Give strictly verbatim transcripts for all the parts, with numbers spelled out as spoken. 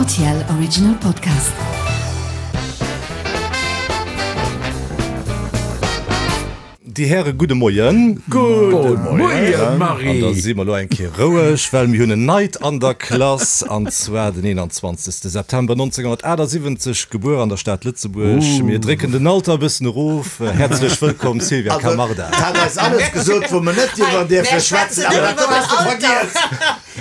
R T L Original Podcast. Déi Häre gudde Moien. Gudde Moien, Marie. An da si mer elo eng Kéier roueg, well mir hunn en Neit an der Klass, an zwar den eenanzwanzegste September nonzénghonnertaachtsiwwenzeg gebuer an der Stad Lëtzebuerg. Mir drécken den Alter e bëssen erof. Häerzlech wëllkomm, Sylvia Also, Camarda. hat eis alles gesot, wou mer net iwwer dierfe schwätzen, awer dat do has de vergiess.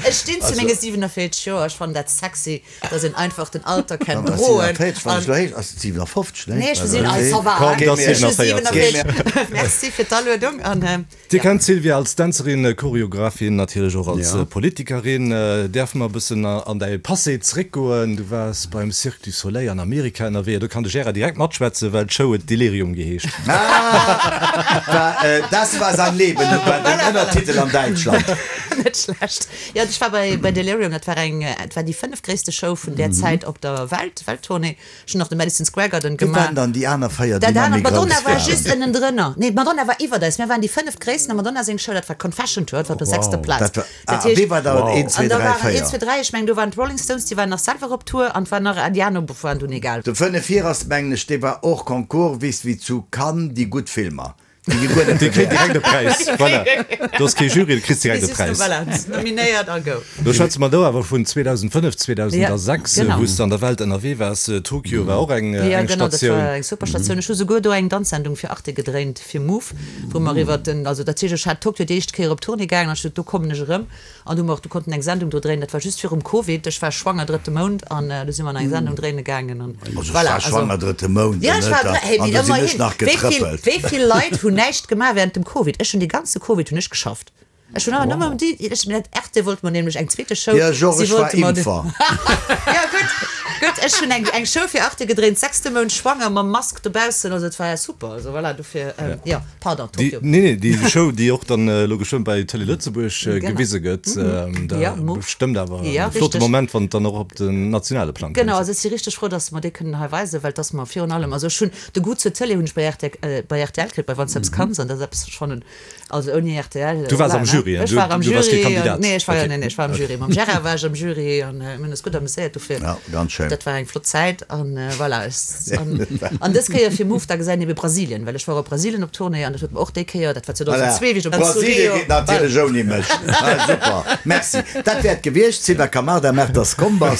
Ech stinn zu menge siwenavéierzeg Joer. Ech fannen dat sexy, dass een einfach den Alter kennt Awer droen. siewenundvéierzeg, wann ech elo héich, ass et siewenundfofzeg, ne? Nee, ech sinn, ah, ça va. Komm, dat ass Ech hu siewenundvéierzeg. siewenundvéierzeg. Merci fir d'Aluedung an Dir ja. kennt d'Sylvia als Dänzerin, Choreographin, natierlech och als Ja. Politikerin. Däerfe mer e bëssen an däi Passé zréckgoen? Du waars beim Cirque du Soleil an Amerika ënnerwee. Do kann de Gérard direkt matschwätzen, well d'Show huet Delirium geheescht. Ah, war, äh, das war sein Leben, war den Ënnertitel an Däitschland. Net schlecht. Jo, ech war bei, bei Delirium, dat war eng, dat war déi fënnef gréisste Show vun där Zäit op der Welt, Welttournée. Ech hunn nach de Madison Square Garden Wie waren gemaach. dann déi aner véier, déi Dat nach anert, méi Madonna grouss war waren? just ënnendrënner. Nee, Madonna war iwwert eis. Mir waren déi fënneft gréissten a Madonna seng Show, dat war Confession Tour, dat war op der sechster Plaz. Dat war, Dat ah, heescht, wie war dann eent, zwee, an da dräi, waren véier? eent, zwee, dräi, ech mengen, do waren d'Rolling Stones, déi waren nach selwer op Tour an et war nach Adriano, waren dunn egal. De fënnef vir ass, mengen ech, dee war hors concours, wéi wéi zu Cannes déi gutt Filmer. Déi gi guer net Dee kritt bewäert. direkt e Präis. Voilà. Do ass kee Jury, du kriss direkt e Präis. Voilà, nominéiert a go. Do schwätze mer do awer vun zweedausendfënnef, zweedausendsechs, Ja, genau. wou s de an der Welt ënnerwee waars. Tokio war och eng, Ja, eng genau, dat Statioun. war eng super Statioun. Ech hu souguer do eng Danzsendung fir Arte gedréint fir Move, wou mer iwwer den, also dat heescht, ech hat Tokio déi éischt Kéier op Tournée gaangen an ech sot, do kommen ech erëm. An du mer och, du konnten eng Sendung do dréinen, dat war just virum Covid, ech war schwanger drëtte Mount an do si mer nach eng Sendung dréine gaangen an Also ech voilà, war also schwanger drëtte Mount, Ja, ech war net? dre-, hey, An wéi do sinn ech ëmmerhin, nach wéi vill, getrëppelt. wéi vill Leit hunn näischt gemaach während dem Covid? Ech hunn dee ganze Covid hunn ech geschafft. Ech hunn awer nëmmen déi, ech, dat Arte wollt mer nämlech eng zweete Show, Ja, Georges, si ech war wollte mer de- Impfer. Ja, gutt, gutt, ech hunn eng, eng Show fir Arte gedréint, sechste Mount schwanger, mam Mask dobaussen, also et war ja super, also voilà, dofir, ähm, ja, pardon, Déi, Tokio. nee, nee, déi Show, déi och dann elo geschwënn bei Télé Lëtzebuerg Genau. gewise gëtt, ähm, da Ja, Move. bestëmmt awer Ja, e flotte richteg. Moment, wann et dann och op den nationale Plang Genau, kënnt. also ech si richteg frou, dass mer déi kënnen hei weisen, well dass mer virun allem, also ech hunn de Goût zur Télé hunn ech bei R T L, äh, bei R T L kritt, bei Wann Selbst Kanns, an dat ass eppes, ech fannen, also ouni R T L, Du waars voilà, am ne? Jury, Ech du, war am du waars kee Jury, Kandidat. an, nee, ech war, Okay. nee, nee, ech war am Jury. Mam Gérard war ech am Jury an äh, mir hunn eis gutt amuséiert dofir. Ja, ganz schön. Dat war eng flott Zäit an äh, voilà, ech, an, an dës Kéier fir Move, da gesäit ebe Brasilien, well ech war op Brasilien op Tournée an dat huet mer och déi Kéier, dat war zweedausendzwee, wéi ech op Brasilien Rio- geet natierlech ouni mech. Ah, super. Merci. Dat wäert gewiescht, Sylvia Camarda, Mertas Kombas.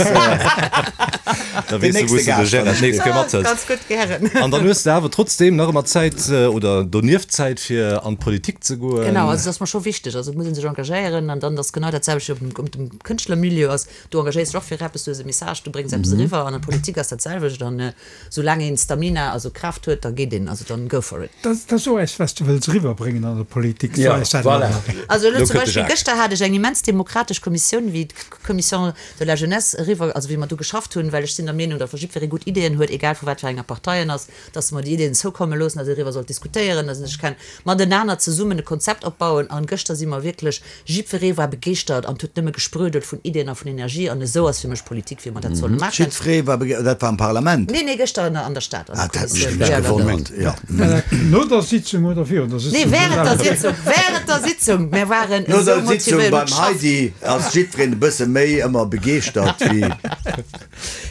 Da weess du, nächste wou s du de Gaascht Gérard dann. d'nächst Kéier mathëls. Ganz gutt, gären. An dann hues de awer trotzdem nach ëmmer Zäit äh, oder donieft Zäit fir an d'Politik ze goen. Genau, also dat ass mer scho wichteg, also muss een sech engagéieren an dann das genau dat selwecht op dem, op dem Kënschtlermilieu ass, du engagéiers dech och fir eppes, du hues e Message, du bréngs eppes eriwwer an an der Politik ass dat selwecht an äh, soulaang een Stamina, also Kraaft huet, da geet een, also dann go for it. Dat dat ass och eppes, wat s du wëlls eriwwerbréngen an der Politik. Ja, So ass dat voilà. nach. Also elo Lo zum kënnt de Beispill Jacques. gëschter hat ech eng immens demokratesch Kommissioun, wéi d'Commission de la Jeunesse eriwwer, also wéi mer do geschafft hunn, well ech sinn der Meenung, datt wa jiddweree gutt Ideeën huet, egal vu wat fir enger Partei en ass, dass mer déi Ideeën zoukomme loossen, dass een eriwwer soll diskutéieren, dass een sech kann matenaner zesummen e Konzept opbauen. An gëschter si mer wierklech, jiddweree war begeeschtert an huet nëmme gesprudelt vun Ideeën a vun Energie an esou ass fir mech Politik, wéi mer dat solle maachen. Jiddweree war bege-, dat war am Parlament. Nee, nee, gëschter an der, an der Stad, an der Ah, dat hat mech Kommissioun. nämlech Ja, ja, gewonnert. Ja. War dat no der Sitzung oder virun der Sitzung? Nee, während der Sitzung, während der Sitzung. Mir waren No esou der Sitzung motivéiert beim und geschafft. Heidi ass jiddwereen e bësse méi ëmmer begeeschtert wéi.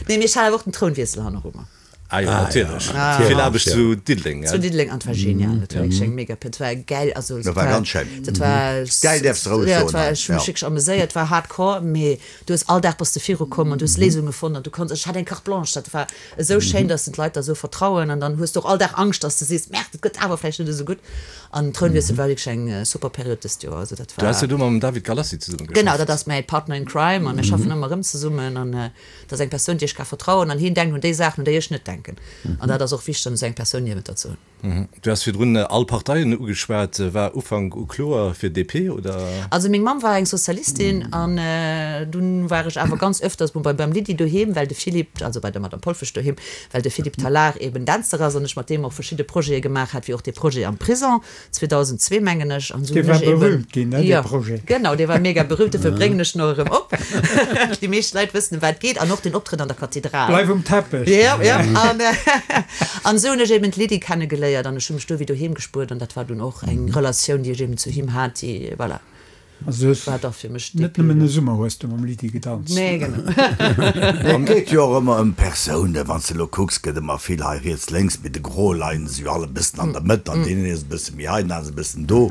Nee, mir hat awer och den Trounwiessel hanner ëmmer. Ah, jo, natierlech. Ah, Vill ja. Aarbecht Ja. zu Diddeleng, Zu gell? Diddeleng, an et war genial, dat war wierklech eng mega, dat war geil, also Dat war ganz schéin. Dat war Geil däerfs de roueg ja, soen, dat war, ech hu mech ja. wierklech amuséiert, et war hardcore, mee du hues all Dag bass de virukomm an du hues Léisunge fonnt an du konns, ech hat eng Carte blanche, dat war esou schéin, dass den d'Leit der esou vertrauen an dann hues du och all Dag Angscht, dass du sees, Merde, dat gëtt awer vläicht net esou gutt. An Trounwiessel war wierklech eng super Period dëst Joer, also dat Du has war jo do mam David Galassi zesumme Genau, geschafft. dat ass mäi Partner in Crime an mir schaffen ëmmer erëm zesummen an dat ass eng Persoun, déi ech ka vertrauen an hien denkt un déi Saachen, un déi ech net denken. An dat ass och wichteg, esou eng Persoun niewent der ze hunn. Du has virdrun all Parteien ugeschwat, war Ufank u kloer fir D P oder? Also meng Mamm war eng Sozialistin an äh, dunn war ech awer ganz öfters beim, beim Lydie doheem, well de Philippe, also bei der Madame Polfesch doheem, well de Philippe Tallard eben Dänzer ass an ech mat deem och verschidde Projete gemaach hat, wéi och de Projet am Prison zweedausendzwee mengen ech an esou Dee hunn war ech eben berühmt ginn, ne, dee Ja, Projet. genau, dee war mega berühmt, dofir bréngen ech nach erëm op. Déi meescht Leit wëssen, ëm wat et geet an och den Optrëtt an der Kathedral. Bleif um Teppech. Ja, ja. An, äh, an esou hunn ech eben d'Lydie kennegeléiert an ech hu mech do wéi doheem gespuert an dat war dunn och eng Relatioun, déi ech eben zu him hat, déi, voilà. Also du hues war da fir mech net nëmmen e Summer hues du mam Lydie gedanzt. Nee, genau. Et geet jo och ëmmer ëm Persounen. Wann s de elo kucks, gëtt ëmmer vill hei riets, lénks, mee de Gros leien se jo all e bëssen an der Mëtt an deen een ass e bësse méi hei, den aneren ass e bëssen do.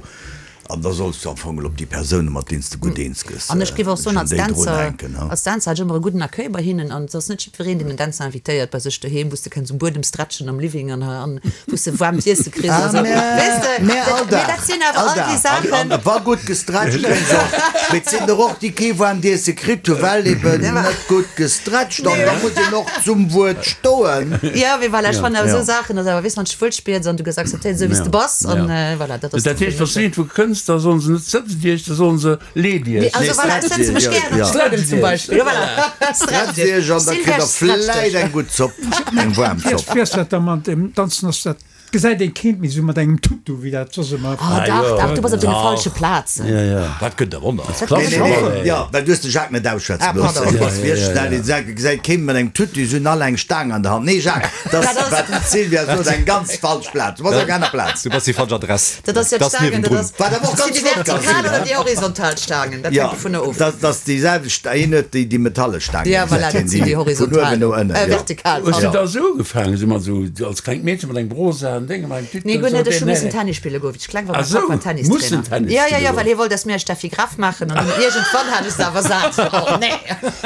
An da solls du am Fong op déi Persounen, mat deenen s de gutt eens gëss, An ech géif och soen, schonn als déi drun Dänzer, hänken, ha. als Dänzer hat ech ëmmer e gudden Accueil bei hinnen. An et ass net jiddwereen, deen en Dänzer invitéiert bei sech doheem, wou s de kenns um Buedem stretchen am Living an, an wou s de waarmt Iesse kriss. Ah, Also, mä, weess de, mä all dat, mee Dag, dat sinn awer all all déi Dag. An, Saachen. an wa gutt gestretcht ginn ass, mee et sinn der och, déi kee waarmt Iesse kritt hu well eben net gutt gestretcht. An da muss een och zum Wuert stoen. Ja, mee voilà, ech fannen awer Ja. esou Saachen, dass awer, weess, wann s de wuel spills an du gëss akzeptéiert, esou wéi s de bass, an voilà, dat ass Dat heescht, wa s iergendwou kënns, da sollen se net sëtzt Iech, da sollen se leet Nee, Iech. also Nee, voilà, stretcht sëtze mech Iech, gären ja. op de Buedem zum Beispill. Ja, voilà. Stretcht Iech an da kritt der vläit eng gutt Zopp, eng waarm Zopp. Wéi ass dat da mat dem Danzen? Ass dat, gesäit een keent méi sou mat engem Tutu, wéi dat soss ëmmer. Oh, dach, dach, du bass op deene falsche Plazen. Ja, ja. Dat gëtt der Wonner. Dat Nee, gëtt nee, der nee. Ja, well du hues de Jacques net ausschwätze Ah, gelooss. pardon. Du bass wierklech schnell. Dee Jacques gesäit kee mat engem Tutu, se hunn all eng Staang an der Hand. Nee, Jacques, dat ass, wat d'Sylvia sot, eng ganz falsch Plaz. Du bass op enger aner Plaz. Du bass déi falsch Adress. Dat ass jo Dat ass d'Staangen, dat niewendrun. ass. Wat awer och Sinn ganz déi flott ka vertikal sinn, oder ne? déi horizontal Staangen? Dat Ja, hänkt dovunner of. dat ass déi selwecht, een huet déi, déi metalle Staangen, Ja, voilà, gesäit dat een, sinn déi déi vun horizontal. uewen no ënnen, Äh, ja. vertikal, Hues du pardon. da esou ugefaangen, esou mat esou als klengt Meedchen mat engem Brosa an Déngen, mat engem Tüten Nee, an guer esou, net, ech hu nee, missen nee. Tennis spille goen, wéi ech kleng war. Ah, Mäi Papp war sou, Tennistrainer. mussen Tennis Ja, ja, spille ja, well goen. hie wollt, dass mir Steffi Graf maachen an dunn iergendwann hat ech se awer sat. Oh, nee.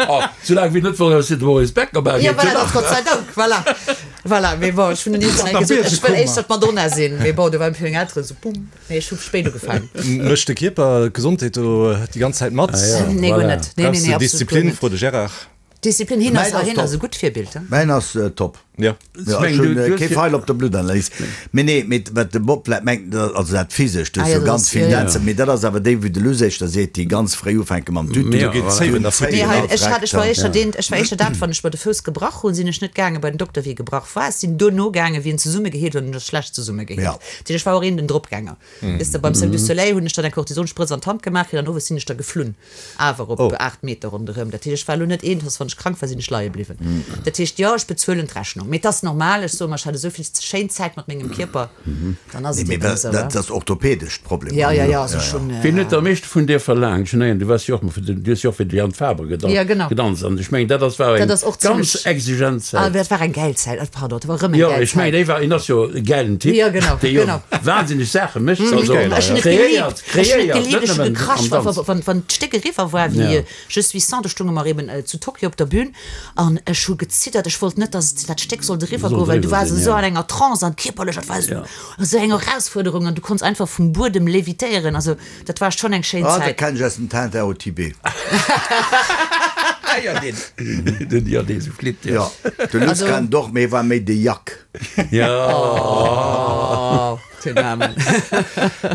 Oh, soulaang wéi net wollt, dass de Boris Becker bei Ja, geet, voilà, dat Gott sei Dank, voilà. Voilà, mee bon, ech hunn dunn iergendwann Mat der gesot, ech wëll Biesekummer. éischter d'Madonna sinn. Mee bon, do waren meng Elteren esou, bumm. Nee, ech hu spéit ugefaangen. Mécht de Kierper, d'Gesondheet do déi ganz Zäit mat? Ah, ja. Nee, guer Voilà. net. Nee, nee, Brauchs nee, de absolut guer Disziplin, net. frot de Gérard. Disziplin, hien ass, Mäin ass hien ass top. e gutt Virbild, he? Mäin ass top. Ja. Ja, Mengen, ech hunn du- du hues kee jo- Feil op der Bluttanalys. Mee nee, mee wat de Bob vläit mengt, dat also dat Physescht, du Ah hues ja, jo dat ganz ass- vill ja, ja. Dänzer, mee dat ass awer déi, wéi de Luss éischter seet, déi ganz fréi ufänke mam Tutu. Ja, Do geet voilà. d'Zéiwen da futti. Nee, hei, ech hat, ech war Ja. éischter deen, ech war éischter dat, wann ech mer de Fouss gebrach hunn, sinn ech net gaange bei den Dokter, wéi e gebrach war. Ech sinn duerno gaange, wéi en zesummegeheelt huet, an en ass schlecht zesummegeheelt. Ja. Dat heescht, ech war och een den Dropgänger. Weess de, beim Cirque du Soleil hunn ech dann eng Kortisonsprëtz an d'Hand gemaach kritt an owes sinn ech da geflunn. Awer op Oh. aacht Meter ronderëm. Dat heescht, ech war elo net een, dass wann ech krank war, sinn ech leie bliwwen. Dat heescht, jo, ech bezuelen d'Rechnung. Mee et ass normal, ech soe mer, ech hat esou vill schéin Zäit mat mengem Kierper, dann ass Nee, et mee eben dat, esou, dat wa? ass orthopädescht Problem. Ja, ja, ja, also schon. Wien huet am meeschte vun dir verlaangt? Ech mengen, du waars jo och mol fir den, du hues jo och fir de Jan Faber gedan Ja, genau. gedanzt. An ech mengen, dat ass war Dat eng ass och ganz zimmlech- exigent Ah, Zäit. dat war eng gäil Zäit. Ah, pardon, dat war erëm eng Jo, gäil ech mengen, Zäit. dee war, en ass jo e gäilen Typ, Ja, genau, dee jo genau. wahnsinneg Saache mécht, also Ech Ech hunn et kreéiert, geliebt. Ech hunn et kreéiert, geliebt. net Ech hunn nëmmen am gekrasch, wa, Danz. wa, wann, wann d'Stéck eriwwer war, wéi Ja. Je suis sans, do stounge mer eben zu Tokio op der Bühn an ech hu gezittert. Ech wollt net, dass dat Stéck sollt eriwwer Sollt goen, well du eriwwer waars sinn, esou ja. an enger Trance an kierperlech, dat war esou, Ja. esou eng Erausfuerderung an du konns einfach vum Buedem levitéieren. Also dat war schon eng schéin Ah, dat Zäit. kenn ech aus dem Tintin au Tibet. Ah, ja, den, den, ja, dee sou flitt, ja. Ja, de Luss Also- kann doch, mee war méi de Jack. Ja. Oh, den Namen.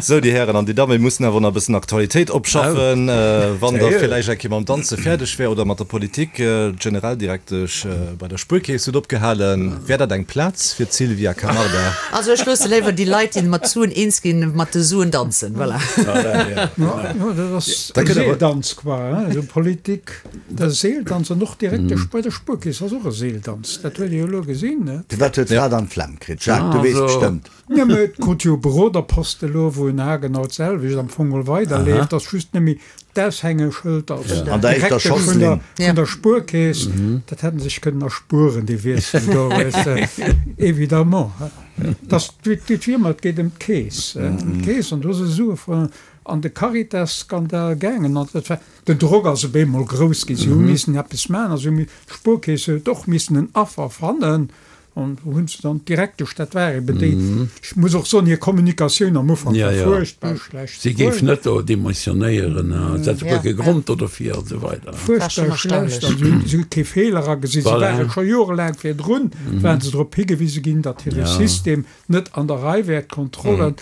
Sou, déi Hären an déi Damen, mir mussen awer nach e bëssen Aktualitéit opschaffen. Äh, wann der Sérieux? villäicht eng Kéier mam Danze fäerdeg wär oder mat der Politik, äh, d'Generaldirektesch äh, bei der Spuerkeess huet opgehalen. Wär dat eng Plaz fir d'Sylvia Camarda? Also ech loosse léiwer déi Leit, déi mat Suen eens ginn, mat de Suen danzen. Voilà. Ja, Ja, ja, dat ass Da kënnt awer- Seeldanz qua, hein? Also Politik, dat ass Seeldanz an och Direktesch bei der Spuerkeess ass och e Seeldanz. Dat huet Dir jo elo gesinn, ne? Firwat huet d'Fra dann d'Flemm kritt? Jacques, du Ah, weess also. bestëmmt. Ja, mä et krut jo e Beroderposte elo, wou en haargenau d'selwecht am Fong mol weiderleeft. Dat ass just net méi d'Aushängeschëld als An der éischter Direktesch vun der, Schosslinn. Ja. vun der Spuerkeess. Dat hätten se sech kënnen erspueren, dee Wiessel do, weess de. Évidemment, hein. Das, et geet wéi ëmmer, et geet ëm d'Keess, hein, ëm d'Keess. An do si Sue vun an de Caritas-Skandal gaangen. An dat war, den Drock ass op eemol grouss ginn. Si hu missen eppes maachen. Also d'Spuerkeess huet och missen en Affer fannen. An wou hunn se dann d'Direktesch, dat war eben déi, ech muss och soen, hir Kommunikatioun am Ufank Ja, war ja. fuerchtbar schlecht. Si géif net do demissionéieren, se hätt Ja, guer kee ja. Grond do dofir an esou weider. War schon Fuerchtbar schlecht. erstaunlech. Also si hu kee Feeler agesinn. Si Voilà. ware scho jorelaang virdrun, waren se drop higewise ginn, datt hire Ja. System net an der Rei wär, d'Kontrollen.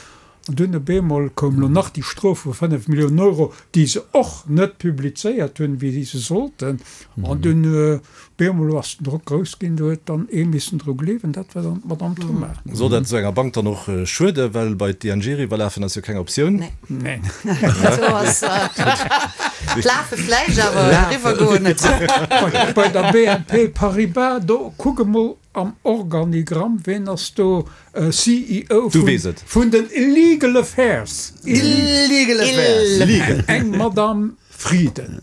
An dunn op eemol koum lo nach déi Strof vu fënnef Milliounen Euro, déi se och net publizéiert hunn, wéi se sollten. An dunn op eemol ass den Drock grouss ginn, do huet dann ee missen dru gleewen, dat war dann d'Madame Thoma. Soll dat esou enger Bank dann och schueden, well bei d'ING eriwwerlafen ass jo keng Optioun? Nee. Neen. So ass, Lafe vläicht, awer eriwwer goen net. Bei, bei der B N P Paribas, do kuck emol, am Organigramm, ween ass do C E O Du weess et. vun den Illegal Affairs? Illegal Affairs. Legal. Eng Madame Frieden.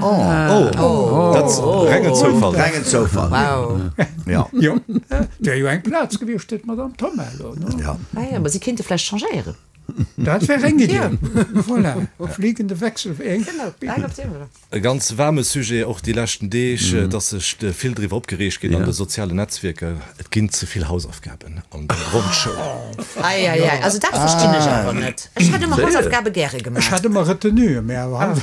Oh, dat ass rengen Zoufall. Rengen Zoufall. Wow. Ja. Jo, et wär jo eng Plaz gewiescht fir d'Madame Thoma elo, no? Ja. Ah ja, ma si kéinte vläicht changéieren. Dat wär eng Idee. Voilà, fliegende Wechsel. Genau, eng Optioun, oder? E ganz waarme Sujet och déi leschten Deeg, et ass sech vill driwwer opgereegt ginn an de sozialen Netzwierker, et ginn ze vill Hausaufgaben an der Grondschoul. Ei, ei, ei, also dat verstinn ech awer net. Ech hätt ëmmer Hausaufgabe gäre Ech gemaach. hat ëmmer Retenue, mä awer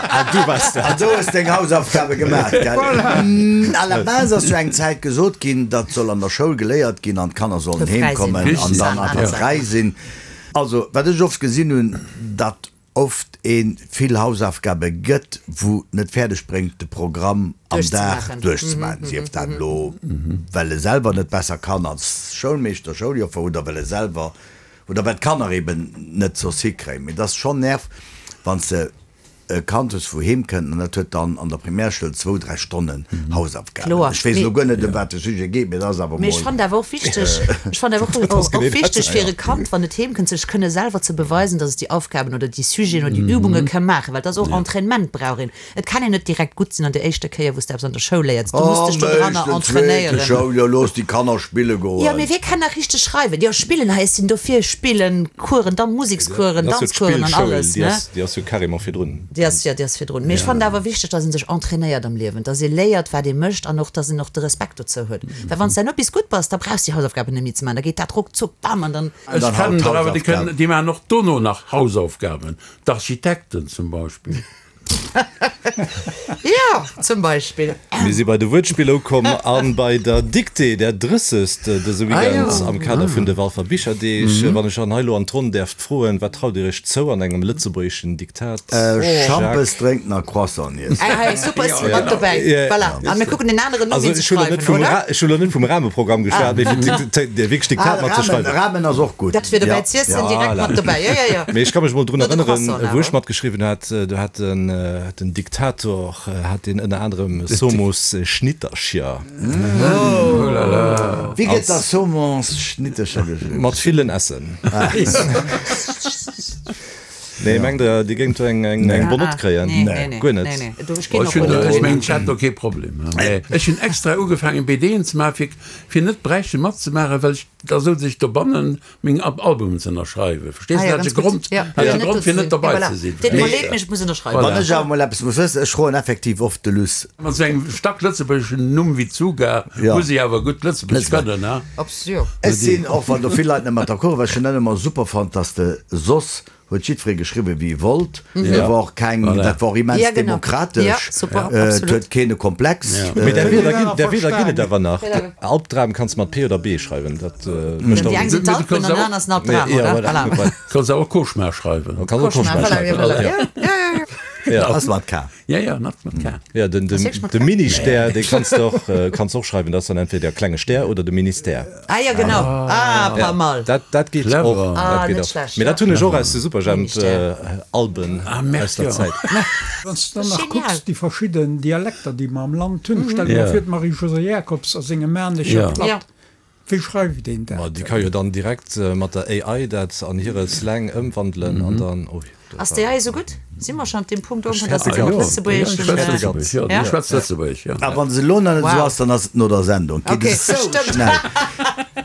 Ah, du waars dat. An do hues deng Hausaufgabe gemaach, gell? À la base ass jo eng Zäit gesot ginn, dat soll an der Schoul geléiert ginn an d'Kanner sollen Fir fräi heem sinn. kommen an dann einfach fräi sinn. Also, wat ech oft gesinn hunn, datt oft ee vill Hausaufgabe gëtt, wou net fäerdeg bréngt, de Programm am Dag Duerchzemaachen. duerchzemaachen, sief dat elo, well e selwer net besser kann als Schoulmeeschter, Schouljoffer oder well e selwer oder well d'Kanner eben net soss hikréien. Mee et ass schonn nerv, wann s de e Kand hues, wou heem kënnt an dat huet dann an der Primärschoul zwou, dräi Stonnen Hausaufgaben. Kloer. Ech weess elo Mee guer net, ëm wat de Sujet geet, mee et ass awer Mee ech mol. fannen awer och wichteg, ech fannen awer och, och, genee och dat, wichteg fir ja. e Kand, wann et heem kënnt, sech kënne selwer ze beweisen, dass et déi Aufgaben oder déi Sujeten oder déi Übunge ka maachen, well dat ass och Entraînement brauch een. Et kann een net direkt gutt sinn an der éischter Kéier, wou s de eppes an der Schoul léiers. Du muss dech Am do dranner éischten, zweete entrainéieren. Schouljoer, looss déi Kanner spille Jo, goen. mee wie kann nach richteg schreiwen? Jo, spillen, hei, ech sinn dofir, spillen, Coursen, dann Musekscoursen, Dat ass jo Danzcoursen an d'Spillschoul, alles, déi ne? ass, déi ass jo carrément virdrun. Déi ass, ja, déi ass virdrun. Mee ech fannen awer wichteg, dass een sech entrainéiert am Liewen, dass ee léiert, wat ee mécht an och, dass een och de Respekt dozou huet. Well wann s de dann bis gutt bass, da brauchs de déi Hausaufgaben net méi ze maachen, da geet dat ruckzuck, bam, an dann. An Ech dann haut kennen der awer, déi d'Hausaufgaben. kënnen, déi maachen och dono nach Hausaufgaben. D'Architekten zum Beispill. Ja, zum Beispill. Mir si bei de Wuertspiller ukomm an bei der Dictée, der drëssegst dëse Weekend Ah, jo. am Kader vun de Walfer Bicherdeeg. Wann ech an hei elo an d'Ronn däerft froen, wat traut Dir Iech zou an engem lëtzebuergeschen Diktat? Äh, Schampes drénken a Croissant iessen. Hey, hey, super, ech si mat dobäi. Ja. Voilà. A mir kucken den aneren no, Also wien ze ech hunn elo net schreiwen, vum oder? Ra ech hunn elo net vum Rahmeprogramm geschwat, mee fir d'Dikté- de wierklech Diktat Ah, mat ze Rahmen, schreiwen. Rahmen ass och gutt. Dat fir dobäi Ja. z'iessen, Ja. direkt mat dobäi. Ja, ja, ja. Mee ech ka mech mol drun No de erënneren, Croissant wou ech awer. matgeschriwwen hat, do hat den, den Diktator hat deen ënner anerem Somos Schnittercher. Wéi gëtt da Somos Schnittercher geschriwwen? Mat villen S'en. Nee, mengt der, Dir géingt do eng, eng, eng Bonne Note kréien? Nee, nee, nee. Guer net. Nee, nee. Do, ech ginn Ech och hunn guer net ech drun. mengen, ech hätt do kee Problem. Mee ech hunn extra ugefaangen B D'en ze maachen, fir, fir net bräichte matzemaachen, well ech da sollt ech dobannen meng Albumen ze ënnerschreiwen. Verstees Ah du? ja, Dat ass ganz e gutt. Grond, Ja. dat ass Ja, e net Grond, fir do net ze sinn. dobäi Ja, voilà. ze sinn. Deet mer Verstees leed, du? mee ech muss ënnerschreiwen. Wann ech awer mol eppes muss wëssen, ech froen effektiv oft de Luss. Mat sou engem staark lëtzebuergeschen Numm wéi Czuga Ja. muss ee awer gutt Lëtzebuergesch Lëtzebuerg. kënnen, ne? Absolut. Ech sinn, och wann do vill Leit net mat d'accord waren, ech hunn dat ëmmer super fonnt, dass de soss huet jiddweree geschriwwen, wéi e wollt. Do war och keng, Voilà. dat war och immens Ja, genau. demokratesch. Ja, super, Äh, et absolut. huet keen e Komplex. Ja. Mee där Äh, Wierder ginn, där Wierder ginn et awer nach. Ja. Albdram kanns mat P oder B schreiwen, dat mécht Déi och eng sinn Du d'Alpen kanns an déi awer- aner sinn Albdram, Ja, oder? voilà. Voilà. Kanns awer Cauchemar schreiwen. Kanns och Cauchemar, Cauchemar voilà, ja, schreiwen. voilà. Ja. Ja, ja, ja. Ja. Ass mat K. Ja, ja, net mat K. Ja, den, den, Ass wierklech mat de K? Ministère, dee kanns de och, äh, kanns och schreiwen, dat ass dann entweder der klenge Stär oder de Ministère. Ah ja, genau. Ah, pas mal. Dat, dat geet Clever. och. Ah, dat geet net och. schlecht, Mee dat ja. hunn ech och aus de Superjhemp Ministère. äh, Alben Ah, merci, aus der ja. Zäit. Wann s du dann nach Genial. kucks, déi verschidden Dialekter, déi mer am Land hunn, stell dir Ja. mol vir, d'Marie-Josée Jacobs a sengem Maarnecher Ja. Platt. Ja. Wéi schreift een Ma dat? déi ka jo dann direkt äh, mat der A I dat an hire Slang ëmwandelen an dann, oh, dat Ass war- déi A I sou gutt? Si mer schonn op deem Punkt ukomm, dass hätte se gern. och Lëtzebuergesch, Ja, ich schwätz äh, Lëtzebuergesch, ja, Ja? ich schwätz Lëtzebuergesch, ja. A wann se elo nach net Wow. esou ass, dann ass et no der Sendung. Geet Okay, et sou stëmmt. schnell.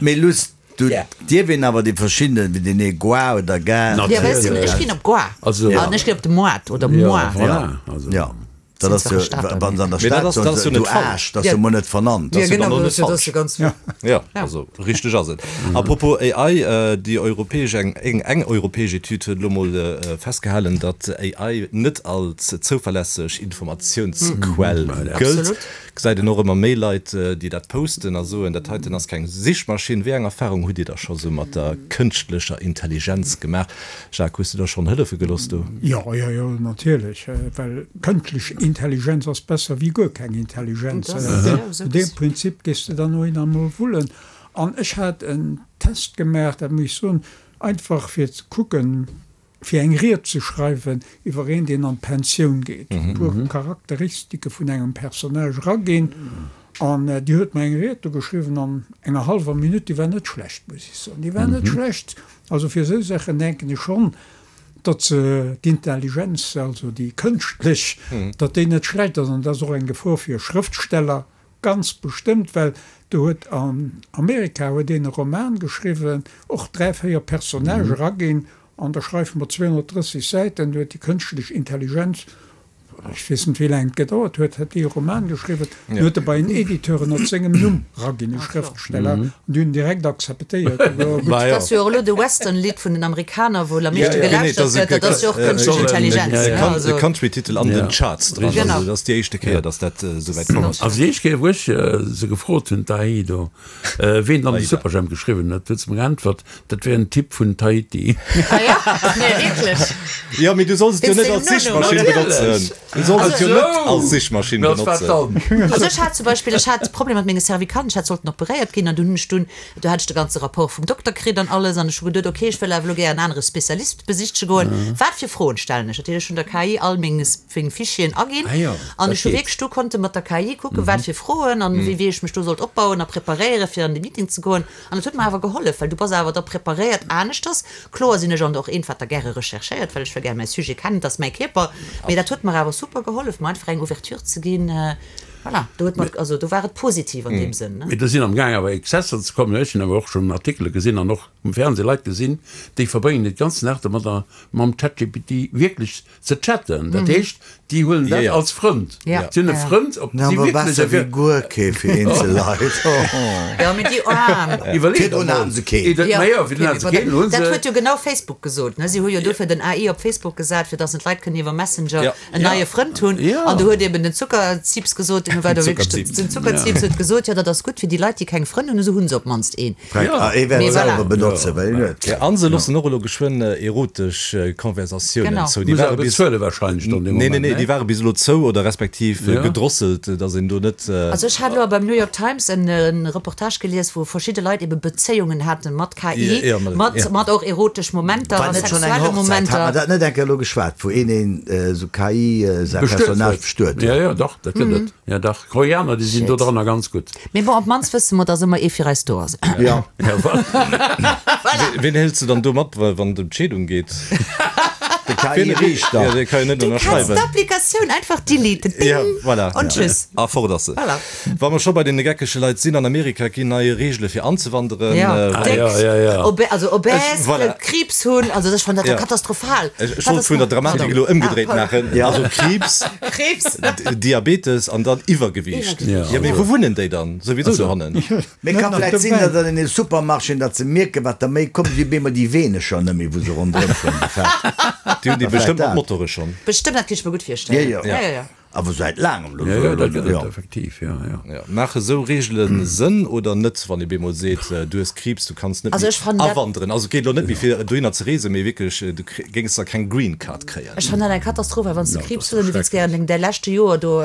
Mee Luss, du Ja. dierf een awer déi verschiddenen, wéi den ee Goa oder Ga. Ja, weess du, ech ginn op Goa. Also- An ech ginn op de Moat oder Ja, Moa. voilà. Also. Ja. Dat ass Sind jo, zwar Stater, wann se an der Mee dat Stad ass- soen dat ass se, jo net du falsch. Aarsch, dat ass Ja. jo mol net vernannt. Ja, ass jo genau, dann och dat net ass jo- dat ass falsch. jo ganz. Ja. Ja, also richteg ass et. Apropos A I, äh, déi europäesch eng, eng, eng europäesch Etüd huet elo mol äh, festgehalen, datt A I net als zouverlässeg Informatiounsquell gëllt. Absolut. Gesäit een och ëmmer méi Leit, äh, déi dat posten a soen, dat heiten ass keng Sichmaschinn. Wéi eng Erfarung hutt Dir da scho sou mat der kënschtlecher Intelligenz gemaach? Jacques, hues du der schonn hëllefe gelooss do? Jo, jo, jo, natierlech, well kënschtlech Intelligenz ass besser wéi guer keng Intelligenz. Dat ass Äh, jo No sou deem Prinzip gees de dann och emol wullen. An ech hat en Test gemaach, dat muss ech soen, einfach fir ze kucken, fir eng Ried ze schreiwen iwwer een, deen an d'Pensioun geet. E puer Charakteristike vun engem Personnage eraginn. An déi huet mer eng Ried do geschriwwen an enger hallwer Minutt, déi war net schlecht, muss ech soen, déi war net schlecht. Also fir esou Saachen denken ech schonn, datt se d'Intelligenz, also déi kënschtlech, datt déi net schlecht ass. An dat ass och eng Gefor fir Schrëftsteller, ganz bestëmmt, well do huet an Amerika huet een e Roman geschriwwen, och dräi, véier Personnage eraginn, an da schreife mer zweehonnertdrësseg Säiten, do huet déi kënschtlech Intelligenz, ech weess net wéi laang et gedauert huet, huet déi e Roman geschriwwen, den huet e bei en Editeur ënnert sengem Numm eraginn, e Schrëftsteller, an déi hunn en direkt akzeptéiert. Dat ass jo och elo de Western-Lidd vun den Amerikaner, wou am meeschte gelauschtert gëtt, dat ass jo och kënschtlech Intelligenz. E Country-Titel an den Charts dran, also dat ass déi éischte Kéier, datt dat esouwäit komm ass. Also déi éischt Kéier, wou ech se gefrot hunn, d'A I do, ween dann de Superjhemp geschriwwen huet, huet se mer geäntwert, dat wär en Typ vun Tahiti. Ah ja? Nee, wierklech? Jo, mee du solls et jo net als Sichmaschinn benotzen. Du solls et jo net als Sichmaschinn benotzen. Also ech hat zum Beispill, ech hat Problemer mat menge Cervicalen, ech hat sollten operéiert ginn an dunn hunn ech dunn, do hat ech de ganze Rapport vum Dokter kritt an alles an ech hu geduet, okay, ech wëll awer elo gär en anere Spezialist besichtege goen, wat fir Froen stellen ech? Dat heescht, ech hunn der K I all meng meng Fichieren aginn an ech hu wierklech do konnte mat der K I kucken, wat fir Froen an wéi wéi ech mech do sollt opbauen a preparéiere fir an de Meeting ze goen an et huet mer awer gehollef, well du bass awer da preparéiert aneschters. Kloer sinn ech an och een, wat da gäre recherchéiert, well ech wëll gär mäi Sujet kennen, et ass mäi Kierper, mee dat huet mer awer super gehollef, mer einfach eng Ouverture ze ginn. Voilà, do huet mer, also do war et positiv an deem Sënn, ne? Mee do sinn am Gaang awer Exzesser ze kommen. Ech hunn awer och schonn Artikele gesinn an och um Fernseh Leit gesinn, déi verbréngen den ganzen Dag domadder mam ChatGPT wierklech ze chatten. Dat heescht, déi huelen dat als Frënd. Si hunn e Frënd, ob si Awer wierklech besser e wéi guer kee fir eenzel Leit. Jo, mee déi Aarm. Iwwerleet Virdrun emol. haten se keen. Jo, Ma jo, virdrun hate se keen, elo hu dat se. huet jo genau Facebook gesot, ne? Si hu jo dofir den A I op Facebook gesat, fir dass d'Leit kënnen iwwer Messenger en neie Frënd hunn. An do huet eben den Zuckerzips gesot, deen war do wierklech, den Zuckerzips huet gesot, jo dat ass gutt fir déi Leit, déi keng Frënn hunn, esou hu se op d'mannst een. Ah, ee wäert Mee et voilà. selwer benotzen, well een huet. A se loossen och elo geschwënn erotesch Konversatiounen Genau. zou. Déi Muss ware awer bis, bezuele wahrscheinlech dann dee nee, nee, Moment, nee, déi ne? ware bis elo zou oder respektiv Ja. gedrosselt, datt een do net. Also ech hat elo beim New York Times en Reportage gelies, wou verschidde Leit ebe Bezéiungen haten mat K I, Ja, mat, mat, ja. mat och erotesch Momenter War a net schonn eng sexuelle Hochzäit, hat mer Momenter. dat net eng Kéier elo geschwat, wou een een esou K I säi Bestuet Personnage huet. bestuet Ja, huet? ja, dach, dat gëtt et. Ja, dach. Koreaner, déi sinn do Shit. dranner ganz gutt. Mee bon, op d'mannst wësse mer, dass ëmmer ee fir eis do ass. Ja. Ja, voilà. Voilà. Wien hëls de dann do mat, wa wann et ëm d'Scheedung geet? De K I-Riichter. Ja, dee ka jo net Du kanns ënnerschreiwen. d'Applikatioun einfach deleten. Ding! Ja, voilà. Und tschüss. A fort ass se. Voilà. Wa mer scho bei deene geckege Leit sinn, an Amerika ginn nei Reegele fir anzewanderen. Ja, Äh, Ah, déck, ja, ja, ja. Obe also obèse, Voilà. Kriibs hunn, also ech fannen dat Ja. jo katastrophal. Ech ech Wat wollt ass vun der nach? Dramatik Pardon. elo ëmgedréit Ah, maachen. Ja. Also Kriibs, Kriibs. Diabetes an dann Iwwergewiicht. Iwwergewiicht. Ja, mee wou wunnen déi dann? Souwisou dohannen. Mee Net ka nach vläit sinn, dobäi. datt an den Supermarchéen, datt se mierken, wat der méi kommt, déi bemol déi wéineger net méi, wou se ronderëm schwammen, déi Fett. Déi hunn déi Vläit bestëmmt mat dat. Motore schonn. Bestëmmt, dat kinnt ech mer gutt virstellen. Ja, ja. Ja, ja, ja. Awer säit laangem elo. Ja, ja, dat gëtt et Ja. effektiv, ja, ja. Ja. Maache sou Reegele Sënn oder net, wann ee bemol seet, du hues Kriibs, du kanns net Also méi ech fannen dat- awanderen? Also et geet elo net méi fir dohinner ze reesen, mee wierklech, du géings da keng Green Card kréien. Ech fannen dat eng Katastroph, well wann s de Ja, Kriibs dat hues an ass du wëlls gären deng däi leschte Joer do,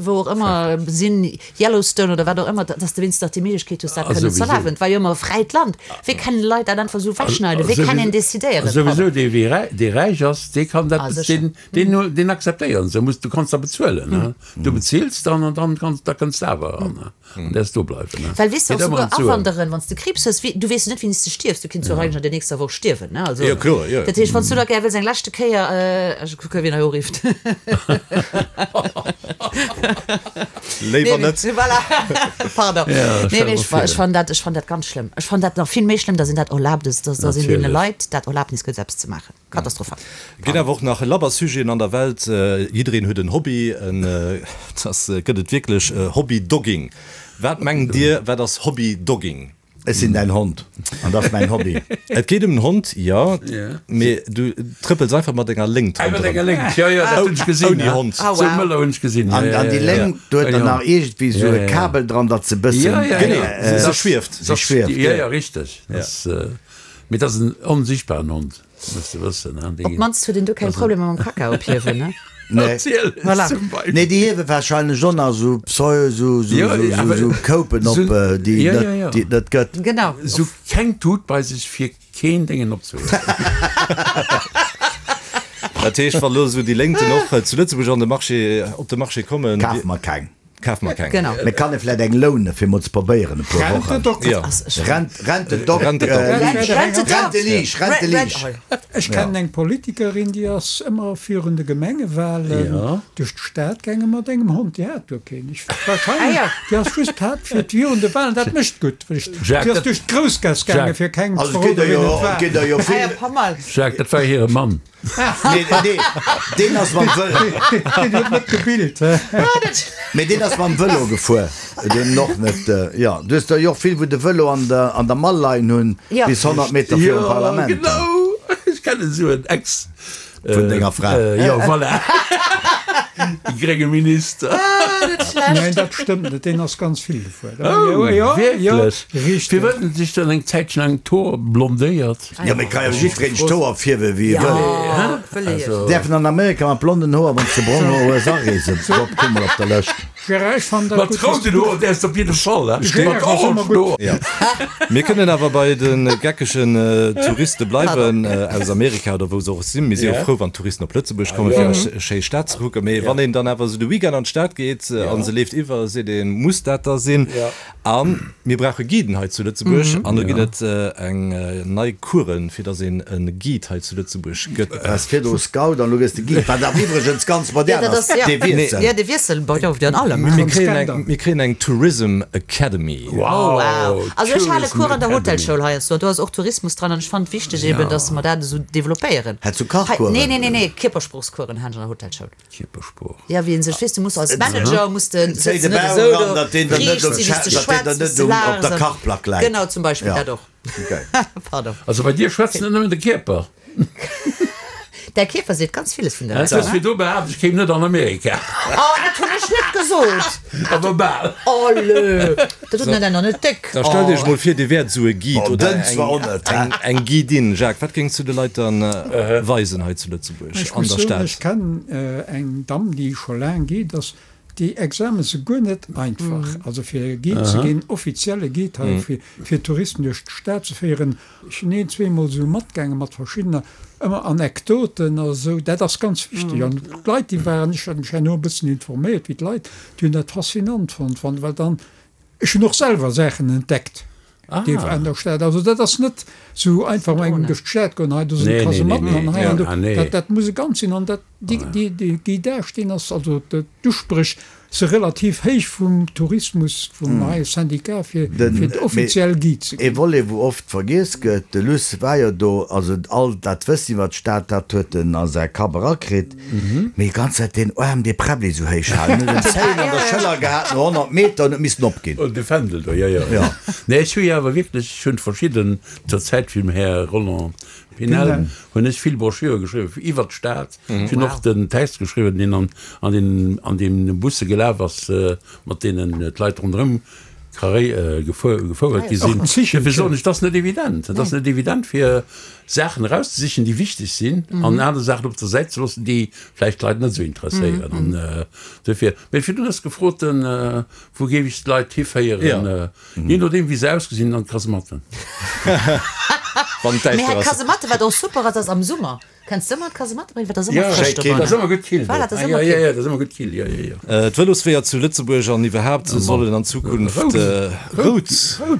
wou och ëmmer sinn, Yellowstone oder wat och ëmmer, dass de wéinstens nach déi Méiglechkeet hues, dat Ah, kënnen ze souwisou. erlaben. Et war jo ëmmer e fräit Land. Wéi kennen Leit dat einfach esou wechschneiden? Wéi kann een decidéieren? Souwisou, Pardon. dee wéi räi, dee räich ass, dee kann dat, Ah, sécher. deen, deen, deen akzeptéieren se. Muss, du kanns da bezuelen, ne? Du bezills dann an dann kanns, da kënns de awer eran, ne? An däerfs do bleiwen, ne? Well weess de Geet och ëmmer souguer ëm d'Suen. awanderen, wann s de Kriibs hues, wéi, du weess jo net wéini s de stierfs, du kinns jo eigentlech an der nächster Woch stierwen, ne? Also, Jo, kloer, jo. dat heescht, wann s du da gär wëlls eng leschte Kéier, ech kucke wien hei urifft. Léiwer Nee, net. voilà. Pardon. Ja, Nee, stell mee mer ech fa-, vir. ech fann dat, ech fann dat ganz schlëmm. Ech fann dat nach vill méi schlëmm, dass een dat erlaabt ass, dass, dass een deene Natierlech. Leit dat Erlaabnis gëtt, eppes ze maachen. Katastrophal. Ginn awer och nach labber Sujeten an der Welt. Jiddereen huet en Hobby. En, dass gëtt et wierklech Hobby-Dogging. Wat mengt Dir, wat ass Hobby-Dogging? Ech sinn däin Hond an dat ass mäin Hobby. Et geet ëm den Hond, jo, mee du trëppels einfach mat enger Léngt Mat ronderëm. enger Léngt, jo, jo, dat hunn ech gesinn. Ouni Hond. Ah, Sou wow. Mëller hunn ech gesinn. An, an déi Léngt, do huet der nach iergendwéi sou e Kabel dran, datt se bëssen. Ja, ja, Genee, ja. se schwieft. Se schwieft, Ja, ja, richteg. Das, mee dat ass en onsichtbaren Hond, muss de wëssen. Op d'mannst huet een do keng Problemer mam Kacka ophiewen, ne? Nee. Voilà. Nee, déi hiewe wahrscheinlech och nach sou Pseu, sou, sou, Ja, sou, sou, awer sou Koupen op, sou, déi ja, net, ja, ja. déi et net gëtt. Genau. Sou keng Tut bei sech fir keen Déngen opzehuelen. Dat heescht, wann elo sou déi Léngten och zu Lëtzebuerg an de Marché, op de Marché kommen. Kafe mer keng. Kaf mer keng. Genau. Mee kann ee vläit eng lounen, fir mol ze probéieren e puer Rent Wochen? de Doc. Ja. Rent, rent de Doc. Rent de Doc. äh, Rent Leash. de Doc. Rent de Leash, rent de Rent- Leash. rent- Ech kennen eng Politikerin, déi ass ëmmer virun de Gemengewahlen Ja. duerch d'Stad gaange mat engem Hond. Déi hat guer keen. Ech, Ah, wahrscheinlech, ja. déi ass just hat fir virun de Wahlen. Dat mécht gutt. Well ech- Jacques, Déi ass dat- duerch d'Groussgaass gaange Jacques. fir kengem ze Also et geet verroden, der wien jo, et war. et geet der jo Ah, ja, vill. paar Mal. Jacques, dat war hire Mann. Nee, nee, deen ass mam Vëlo. Deen huet net gebilt. Hä? Mee deen ass mam Vëlo gefuer. Deen och net, jo. Du hues der jo och vill, wou de Vëlo an der, an der Mall leien hunn, Ja. bis honnert Meter virum Parlament. Genau. Ech kennen esou en Ex. Vun denger Fra. Äh, jo, voilà. De grénge Minister. Nein, dat stëmmt net. Deen ass ganz vill gefuer. Oh, Jo, jo, wierklech? richteg. Firwat huet en sech dann eng Zäitchen laang d'Hoer blondéiert? Jo, mee ka jo jiddwereen sech d'Hoer fierwe wéi e wëll. Ja, wëll ech. Däerfen an Amerika mat blonden Hoer, wann s de brong Hoer hues, areesen? Bob, kuck mol op der Lëscht. Gérard, ech fannen dat Mat gutt, rouden Hoer däerfs de op jidde Fall, hè? Gérard Mat ass ëmmer orangen gutt. Hoer. Ja. Mir kënnen awer bei de geckegen Touriste bleiwen aus Amerika oder wou se och sinn. Mir si jo Ja. frou, wann Touristen op Lëtzebuerg kommen, fir eis schéi Stad ze kucken. Mee wann een dann awer esou de Weekend an d'Stad geet a se leeft iwwer, seet een, Muss dat da sinn? A mir brauche Guiden hei zu Lëtzebuerg. An do ginn et eng nei Coursen, fir datt een e Guide hei zu Lëtzebuerg gëtt. Waars virdru Scout an elo gëss de Guide, wat awer iwwregens ganz Ja, modern dat ass, ass, ja. dee Wiessel. Ja, de Wiessel baut jo op an allem. Mir kréien eng, Skandal. mir kréien eng Tourism Academy. Oh, wow. Also ech hale Tourism Cours an der Academy. Hotelschoul heiansdo. Do ass och Tourismus dran an ech fannen et wichteg eben, dass mer dat esou developpéieren. Hätt du Kachcoursen? Nee, nee, nee, nee, Kierpersproochscoursen han ech an der Hotelschoul. Kierpersprooch. Ja, wéi een sech, weess du, muss als Manager, muss de Zéi sëtz de net Bauch esou eran, do, datt deen der net riicht um si, wéi s de Scha- datt deen der schwätz, wéi net s de um- op laachs der an- Kachplack läit. Genau, zum Beispill Ja. dat och. Okay. Pardon. Also bei dir schwätzt net nëmmen de Kierper. Däi Kierper seet ganz villes vun der Du hues virdu behaapt, ech kéim net an Amerika. Oh, dat hunn ech net gesot! Awer bal. Oh, lö! Dat huet net einer net déck. Da stellt Iech mol vir, Dir wäert esou e Guide Oh, oder dënn zwar och net, eng, eng, eng Guidin. Jacques, wat géings du de Leit dann weisen hei zu Lëtzebuerg Ech an muss der soen, Stad? ech kennen eng Damm, déi scho laang Guide ass. Déi Examen si guer net einfach. Also fir Guide ze ginn, offizielle Guide hei, fir, fir Touristen duerch d'Stad ze féieren. Ech sinn een, zweemol esou matgaange mat verschiddener, ëmmer Anekdoten a sou. Dat ass ganz wichteg. An d'Leit, déi waren, ech hat mech herno e bëssen informéiert, wéi d'Leit, déi hunn dat faszinant fonnt, wann, well dann, ech hunn och selwer Saachen entdeckt. Ah. Déi an der Stad. Also dat ass net sou einfach mal engem duerch d'Stad goen, hei do sinn Nee, nee, Kasematten nee, an nee. hei an do. Ja, ah, nee. Dat, dat muss e ganz sinn an dat déi, déi, déi Guidage, deen ass, also de, d'Usprech se relativ héich vum Tourismus, vum neie Syndicat fir, Den- fir d'offiziell Guide ze E ginn. Volet, wou oft vergiess gëtt, de Luss war jo do, also all dat Wëssen iwwer d'Stad, dat huet en a säi Kapp erakritt, mee déi ganz Zäit deen Aarm dee Präbbli sou héich halen, huet en Zéien an der Schëller gehat, no honnert Meter an huet missen opginn. Oh, de Fändel do, jo, jo. Ja. Nee, ech hu jo awer wierklech, ech hunn verschidden, zur Zäit vum Här Roland Pinel, Pinel. hunn ech vill Broschüre geschriwwen iwwer d'Stad. Ech hunn Wow. och den Text geschriwwen, deen an, an den, an deem Busse gelaf ass, mat deenen d'Leit ronderëm carré gefuer, gefouert gi sinn. Och en Zichelchen. Dofir soen ech, dat ass net evident. Dat ass net evident, fir Saachen erauszesichen, déi wichteg sinn, an aner Saachen op der Säit ze loossen, déi vläicht d'Leit net esou interesséieren. An dofir, mee virdrun hues gefrot, wou géif ech d'Leit hiféieren? Ja. Jee nodeem, wéi se ausgesinn, an d'Kasematten. Wann Mee d'Däischter hei ass. Kasematte, wat och super ass, ass am Summer. Kanns de ëmmer d'Kasematte bréngen, well dat ass ëmmer Ja, frësch kill. Dat ass ëmmer gutt kill. Voilà, dat ass Ah, ëmmer ja, ja, kill. ja, dat ass ëmmer gutt kill, ja, ja, ja. D'Vëlosweeër zu Lëtzebuerg an iwwerhaapt sollen an Zukunft rout.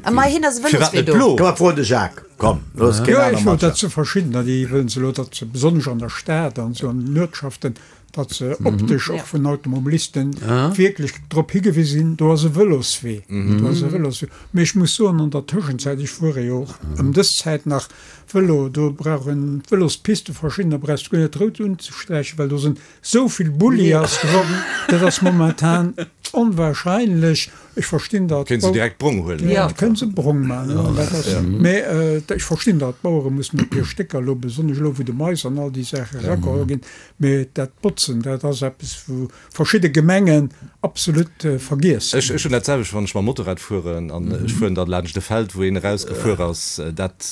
A mei hin ass e Firwat Vëloswee net do. blo? Komm, mer froen de Jacques. Komm, looss keen Jo, aner ech wollt matschwätzen. dat ze verschiddener, déi wëllen se elo, datt se besonnesch an der Stad an esou an den Uertschaften, datt se optesch och vun Automobilisten wierklech drop higewisen sinn, do ass e Vëloswee, do ass e Vëloswee. Mee ech muss soen, an der Tëschenzäit, ech fuere jo och ëm dës Zäit nach Vëlo, do brauchen d'Vëlospiste verschiddener, brauchst du guer net rout unzesträichen, well do sinn esou vill Bulli ass drop, dat ass momentan onwahrscheinlech. Ech verstinn dat. Kënnen se direkt brong huelen. Ja. Kënnen se brong maachen, ja, dat ass, mee ech verstinn dat, d'Bauere mussen op hir Stécker elo, besonnesch elo wou de Mais an all déi Saache erageholl ginn, mee dat Botzen, dat ass eppes wou verschidde Gemengen absolut vergiess Ech, ech hunn dat selwecht, wann ech mam Motorrad fueren an ech fueren dann laanscht e Feld, wou een erausgefuer ass, dat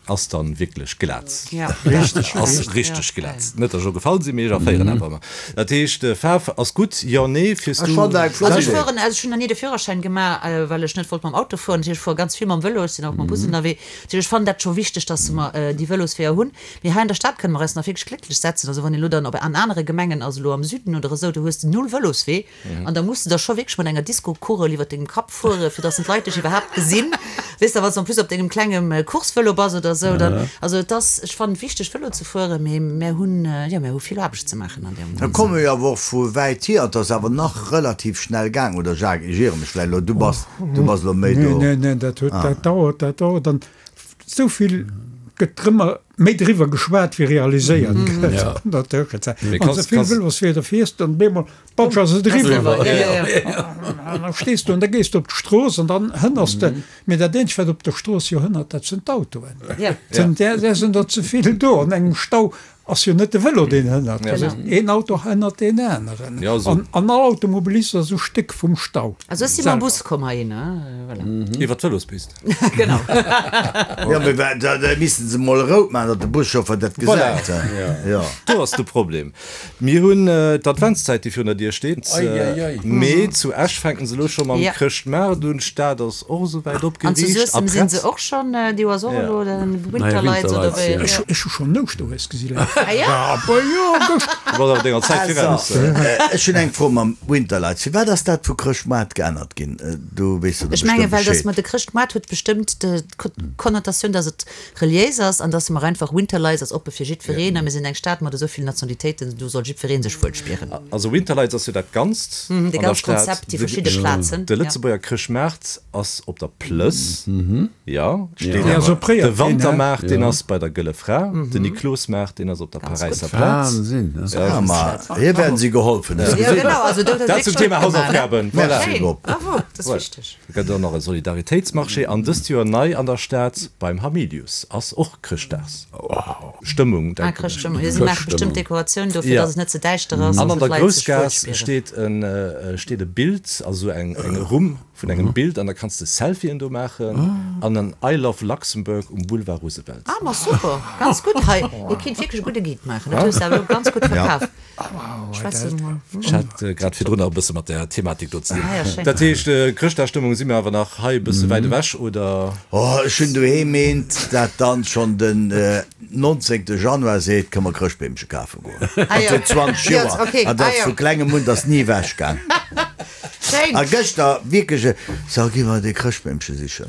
ass dann wierklech glat. Ja. Richteg, Ass richteg. richteg glat. Net datt ech elo gefall sinn, mee ech erféieren awer ëmmer. Dat heescht, Faarf ass gutt, jo, nee, fiers Ech du? fand dat eng flott Also ech Idee. fueren, also ech hunn nach ni de Führerschäin gemaach, well ech net wollt mam Auto fueren. Dat heescht, ech fuere ganz vill mam Vëlo, ech sinn auch mam Bus ënnerwee. Dat heescht, ech fannen dat scho wichteg, dass mer déi Vëlosweeër hunn. Mee hei an der Stad kënne mer eis nach wierklech glécklech setzen. Also wann een elo dann op an anere Gemengen ass, elo am Süden oder esou, do hues de null Vëloswee an da muss de da scho wierklech mat enger Disco-Kugel iwwer dengem Kapp fuere fir dass en d'Leit dech iwwerhaapt gesinn, weess de, wann s de en plus op dengem klengem Coursevëlo bass oder esou, dann, also et ass, ech fannen et wichteg Vëlo ze fueren, mee mär hunn, jo, mär hu vill Aarbecht ze maachen an deem. Da komme jo awer och vu wäit hier, et ass awer nach relativ schnell gaang, oder Jacques, ech iere mech vläicht elo, du bass, du bass elo méi do. Neen, neen, dat huet, dat dauert, dat dauert an esou vill gëtt drëmmer méi driwwer geschwat wéi realiséiert gëtt an der Tëschenzäit. Wann s de vill Vëlosweeder fiers, dann op eemol, patsch, ass et eriwwer. An da stees du an da gees du op d'Strooss an dann hënners de. Mee dat eenzegt, wat op der Strooss jo hënnert, dat sinn d'Autoen. Där sinn der ze vill do. An engem Stau ass jo net de Vëlo deen hënnert, een Auto hënnert deen aneren. An all Automobilist ass e Stéck vum Stau. Also ech si mam Bus komm heihinner, voilà. Iwwer d'Vëlospist. Genau. Jo, mee da missten se mol rout maachen, datt de Buschauffer dat gesäit. Voilà, do ass de Problem. Mir hunn d'Adventszäit, déi virun der Dier steet. Mee zu Esch fänken se elo scho mam Chrëschtmaart un. D'Stad ass och esouwäit opgeriicht. An zu Suessem si se och schonn, déi ass och elo den Winterlights oder wéi. Ech hu schonn Ouschterhues gesi. Ech hunn eng Fro mam Winterlights. Firwat ass dat vu Chrëschtmoart geännert ginn? Du weess jo do Ech bestimmt menge well dass Bescheed. mer de Chrëschtmoart huet bestëmmt d'Konnotatioun, dass et reliéis ass an dass mer einfach Winterlights ass oppe fir jiddwereen a mir sinn eng Stad mat esou villen Nationalitéiten, do soll jiddweree sech wuel spieren. Also Winterlights ass jo dat Ganzt Mhm, dee an der ganz Stad. Konzept, déi verschidde Plazen, De ja. Lëtzebuerger Chrëschtmaart ass op der Plëss, jo, Dee ass opréiert De ginn, he? Wantermaart, deen ass bei der Gëlle Fra, den Niklosmaart, deen ass op der Ganz Paräisser gutt. Plaz. Wahnsinn, ne? Ah, ma hier werden sie geholfen. Hues Ja, gesinn? genau, also do huet Dat zum wierklech Thema gutt gemaach, ne? Hausaufgaben. Voilà. Merci Schéin, Bob. bravo, dat ass Voilà. wichteg. Et gëtt och nach e Solidaritéitsmarché an dëst Joer nei an der Stad beim Hamilius ass och Chrëschtdagsstëmmung, Ah, denken ech. Chrëschtstëmmung. Jo, si maache bestëmmt Chrëschtstëmmung. Dekoratioun dofir, Ja. dass et net ze däischter ass An an an der dass d'Leit sech wuel Groussgaass spieren. steet en, steet e Bild, also eng, eng Rumm vun engem Bild an da kanns de Selfien do maachen an en I love Luxembourg um Boulevard Roosevelt. Ah, ma super, ganz gutt hei. Dir kinnt wierklech e gudde Guide maachen, dat hues de awer elo ganz gutt verkaf. Schwätz emol. Ech hat grad virdrun nach e bësse mat där Thematik do ze dinn. Ah ja, schéin. Dat heescht, Chrëschtdagsstëmmung si mir awer nach hei e bësse wäit ewech, oder? Oh, ech hunn doheem eent, dat dann schonn den nonzéngte Januar seet, Kënne mer Chrëschtbeemche kafe goen? Ah Dat jo. huet zwanzeg Jo, Joer. okay. An dat Ah jo. vu klengem un, dat ass ni ewech gaang. Schéin. A gëschter wierklech, so gi mer dee Chrëschtbeemche sichen.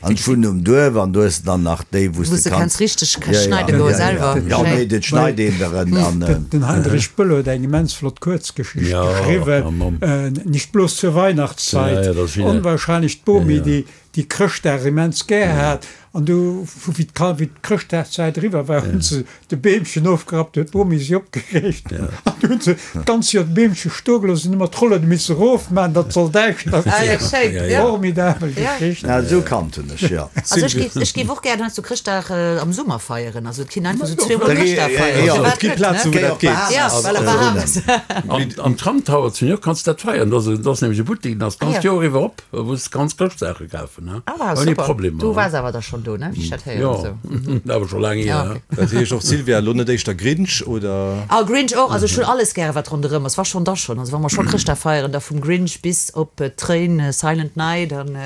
An ech wunnen um Duerf an du hues dann nach déi, wou s Wou s de de kanns kanns richteg schneide goe selwer. Jo, nee, dat schneit een der en an. Den Heinrich Böll huet eng immens flott Kuerzgeschicht Ja, geschriwwen, oh Mamm. Nicht bloß zur Weihnachtszeit. Ja, ja, dat ass wieder. Onwahrscheinlech d'Bomi, Ja, ja. déi déi Chrëschtdag immens gär hat. An du, vu wéi d'Ka wéi d'Chrëschtdagszäit eriwwer war, hunn se de Beemchen ofgerappt, huet d'Bomi si opgereegt. An du hunn se d'ganz Joer d'Beemche stoe gelooss, hunn ëmmer d'Rollen misse erofman, datt soll däischter Ah ja, ginn. schéin, ja. Formidabel Ja. Geschicht. Ja, esou kannt hunn ech, jo. Also ech géif, ech géif och gär heiansdo Chrëschtdag am Summer feieren. Also et kinn einfach esou zweemol Da gi, Chrëschtdag feieren. jo, Firwat Et gi net, Plazen, ne? wou dat geet. Ja, Also, well a Bahamas. Am, am Tramtower zu New York kanns de dat feieren. Do ass nämlech e Buttek, den ass Ah d'ganzt ja. Joer iwwer op, wou s de kanns Chrëschtsaache kafen, ne? Ah wow, Ouni super. Problemer. Du waars awer da schonn do, ne? Wéi ech dat héieren Jo, esou. awer scho laang hier. Ja, okay. Dat heescht och, Sylvia, elo net éischter Grinch, oder? Ah, Grinch och. Also ech hunn alles gäre wat ronderëm ass. Wa schonn, da schonn. Also wa mer scho Chrëschtdag feieren, da vum Grinch bis op d'Tréin, Silent Night an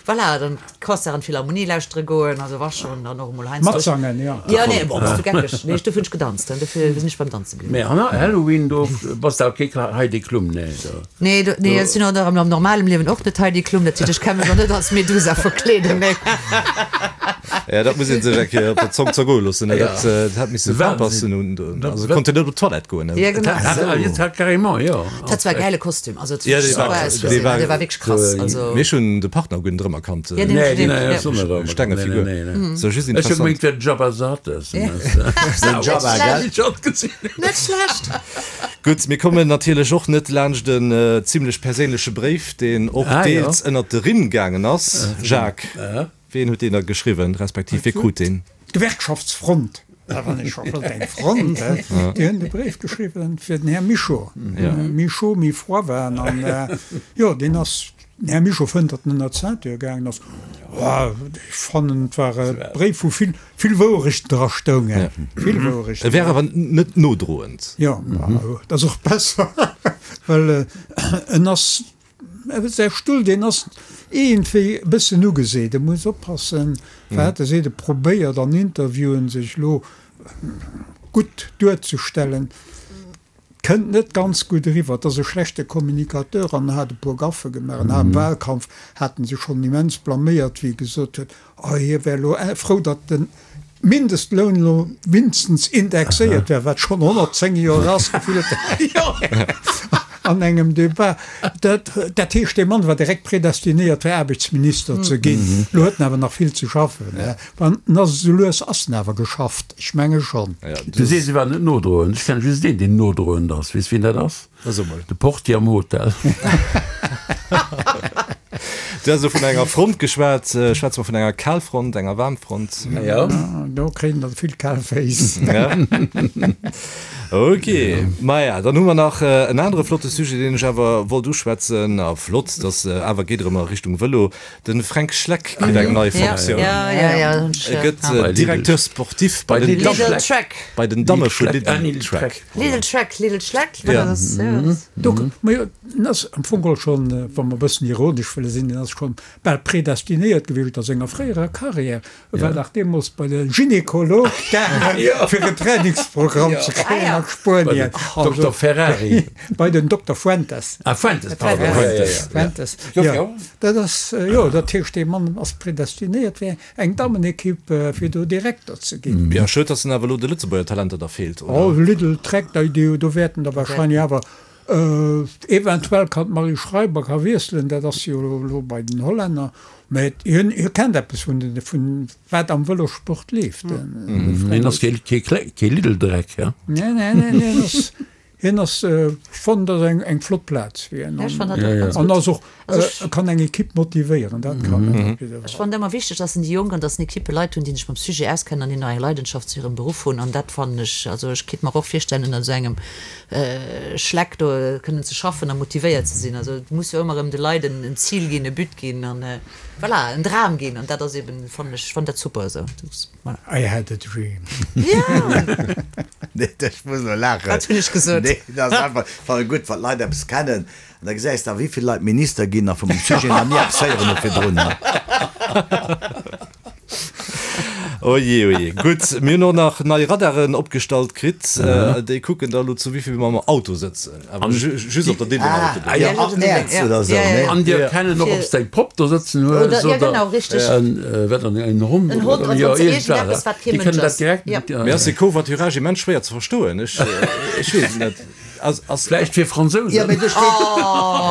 voilà, dann d'Concert an d'Philharmonie lauschtere goen. Also wa schonn, dann och emol heiansdo. Matsangen, jo. Ja, nee, bon, bass du geckeg. Nee, dofir hunn ech gedanzt, dofir sinn ech beim Danze bliwwen. Mee Halloween, do bass de awer kee Heidi Klum, nee? Do. Nee, do, nee, ech sinn och am normalem Liewen och net Heidi Klum. Dat heescht, ech ka mech och net als Medusa verkleeden, nee. Ja, dat muss een sech eng Kéier op der Zong zergoe loossen, ne? Dat, dat hätt misse Pampersen un, also konnt en net op d'Toilette goen, ne? Ja, genau. Dat hat carrément, jo. Dat war e gäile Kostüm, also Ja, dee super war, ausgesinn, dee war, dee war wierklech krass, also. Mee ech hunn de Partner guer net erëmerkannt. Ja, deen, Nee, deen, nee, ja. ech och net erëmerkannt. Stenge Figur. Nee, nee, nee. So just Ech hu interessant. gemengt, wär Jabba the Hutt. Den Jabba, gell? Net schlecht. Gutt, mir kommen natierlech och net laanscht en zimlech perséinleche Bréif, deen och Ah, jo. deels ënnert de Rimm gaangen ass. Jacques, ween huet deen da geschriwwen, respektiv wie krut deen? D'Gewerkschaftsfront, dat war scho flott, eng Front, he, déi hunn de Bréif geschriwwen fir den Här Mischo. Méi chaud, méi froid waren. An jo, deen ass, den Här Mischo fënnt, datt en ënner d'Ceinture gaangen ass. Ech fannen, et war e Bréif, wou vill, vill Wouerechten dra stoungen. Vill Wouerechten. E wär awer net nodroend. Jo, dat ass och besser, well en ass, Säi Stull, deen ass iergendwéi e bëssen ugeseet. E muss oppassen, wat e seet. E probéiert an Interviewen, sech elo gutt duerzestellen. Kënnt net ganz gutt eriwwer. Et ass e schlechte Communicateur an hat e puer Gaffe gemaach. An am Wahlkampf hat en sech schonn immens blaméiert, wéi e gesot huet, oh hie wär elo frou, datt de Mindestloun elo mindestens indexéiert wär, wat schonn honnertzéng Joer ass, gefillt an engem Debat. Dat, dat heescht, dee Mann war direkt predestinéiert, fir Aarbechtsminister ze ginn. Elo huet en awer nach vill ze schaffen. Wann en ass esou lues ass en awer geschafft, ech menge schonn. Du sees, e war net nodroend. Ech kenne just een, deen nodroend ass. Weess, wien dat ass? So mol. De Portier am Hotel. Du has elo vun enger Front geschwat. Schwätze mer vun enger Kalfront, enger Waarmfront? Ja. Do kréien der vill kal Féiss. Ja. Ok. Maja, dann hu mer nach en anere flotte Sujet, deen ech awer wollt uschwätzen. A flott, dass awer geet erëm a Richtung Vëlo. De Fränk Schleck kritt eng nei Fonctioun. E gëtt Directeur sportif bei den Lidl Trek. Bei den Damme vu Lidl Trek. Lidl Trek, Lidl Schleck, wat ass dat? Do, majo, en ass am Fong geholl schonn, wa mer e bëssen ironesch wëlle sinn, en ass schonn bal predestinéiert gewiescht a senger fréierer Karriär. E war dach deemools bei de Gynekolog gaangen, fir en Trainingsprogramm ze kréien a Spuenien. Bei den Dokter Ferrari. Bei den Dokter Fuentes. Ah, Fuentes, pardon. Fuentes, Fuentes. Jo, dat ass, jo, dat heescht, dee Mann ass predestinéiert fir eng Dammenekipp, fir do Direkter ze ginn. Jo, schued, dass en awer elo de Lëtzebuerger Talenter da feelt, oder? Oh, Lidl Trek, do wäerten der wahrscheinlech awer Eventuell kann d'Marie Schreiber ka wiesselen, dat ass jo elo bei den Hollänner, mä hien hie kennt eppes vun den vun wat am Vëlossport leeft. Hien ass kee kee Lidl-Dreck, ja? Nee, nee, nee, nee, hien ass hien ass, ech fannen dat eng eng flott Plaz fir hien Ja, ech fannen dat och ganz an gutt. ass och Also ech. e kann eng Ekipp motivéieren, dat kann en op jidde Ech Fall. fannen ëmmer wichteg, dass en déi Jonk an dass en Ekippe Leit hunn, déi sech mam Sujet auskennen an déi nach eng Leidenschaft zu hirem Beruff hunn an dat fannen ech, also ech kéint mer och virstellen ënner esou engem Schleck do kënnen ze schaffen a motivéiert ze sinn. Also et muss jo ëmmer erëm de Leit en en Zil ginn, e But ginn an voilà, en Dram ginn an dat ass eben, fannen ech, fannen dat super esou. Voilà. I had a dream. Ja! Nee, ech muss elo laachen. Wat hunn ech gesot? Nee, dat ass einfach, fannen gutt, wann d'Leit eppes kennen. An da gesäis de, wéi vill Leit Minister ginn a vum Sujet nach ni eppes héieren hu virdrun. Oje, oje. Gutt, mir hunn och nach nei Radaren opgestallt kritt. Déi kucken da elo, zu wéi vill mer am Auto sëtzen. Awer just op der Diddenger Autobunn. Ah, jo, ab Mäerz oder esou, ne? An déi erkennen och, ob s de eng Popp do sëtzen hues oder en, wat dann, en Hond oder, jo, iergendwat. Déi kënnen dat direkt. Mee ass dee Covoiturage immens schwéier ze verstoen? Ech weess et net. Ass, ass. Vläicht fir Fransousen. Jo, mee do steet,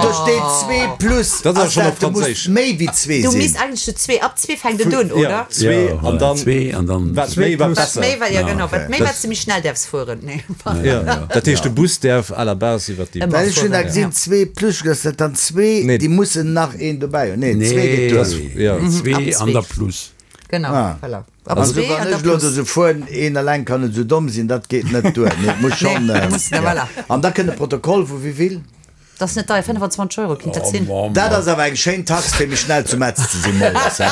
do steet zwee plus. Dat ass awer schonn op Du muss Franséisch. méi wéi zwee Du sinn. misst eigentlech zu zwee, ab zwee fänkt et un, Ja, oder? zwee an dann. Zwee an dann. Wat méi, wat Wat besser. méi, wat, ja genau, wat méi, Dat. wat s de méi schnell däerfs fueren. Nee. Ja, dat heescht, de Bus däerf à la base iwwer déi. Ëmmer Well ech hunn da fueren, gesinn, ja. zwee plus, dat ass dann zwee, Nee. déi mussen nach een dobäi hunn. Nee, zwee geet Nee, duer. Ja. zwee Ab an der zwee. plus. Genau, Ah. voilà. Ab Also zwee wann an der ech elo do plus. esou fueren, een eleng kann net esou domm sinn, dat geet net duer. Nee, et muss schonn. Nee, muss, ja. voilà. An da kënnt e Protokoll vu wéi vill? Dat ass net deier, fënnefenzwanzeg Euro kinnt dat sinn. Dat ass awer eng schéin Tax fir méi schnell zu Metz ze sinn moies, he?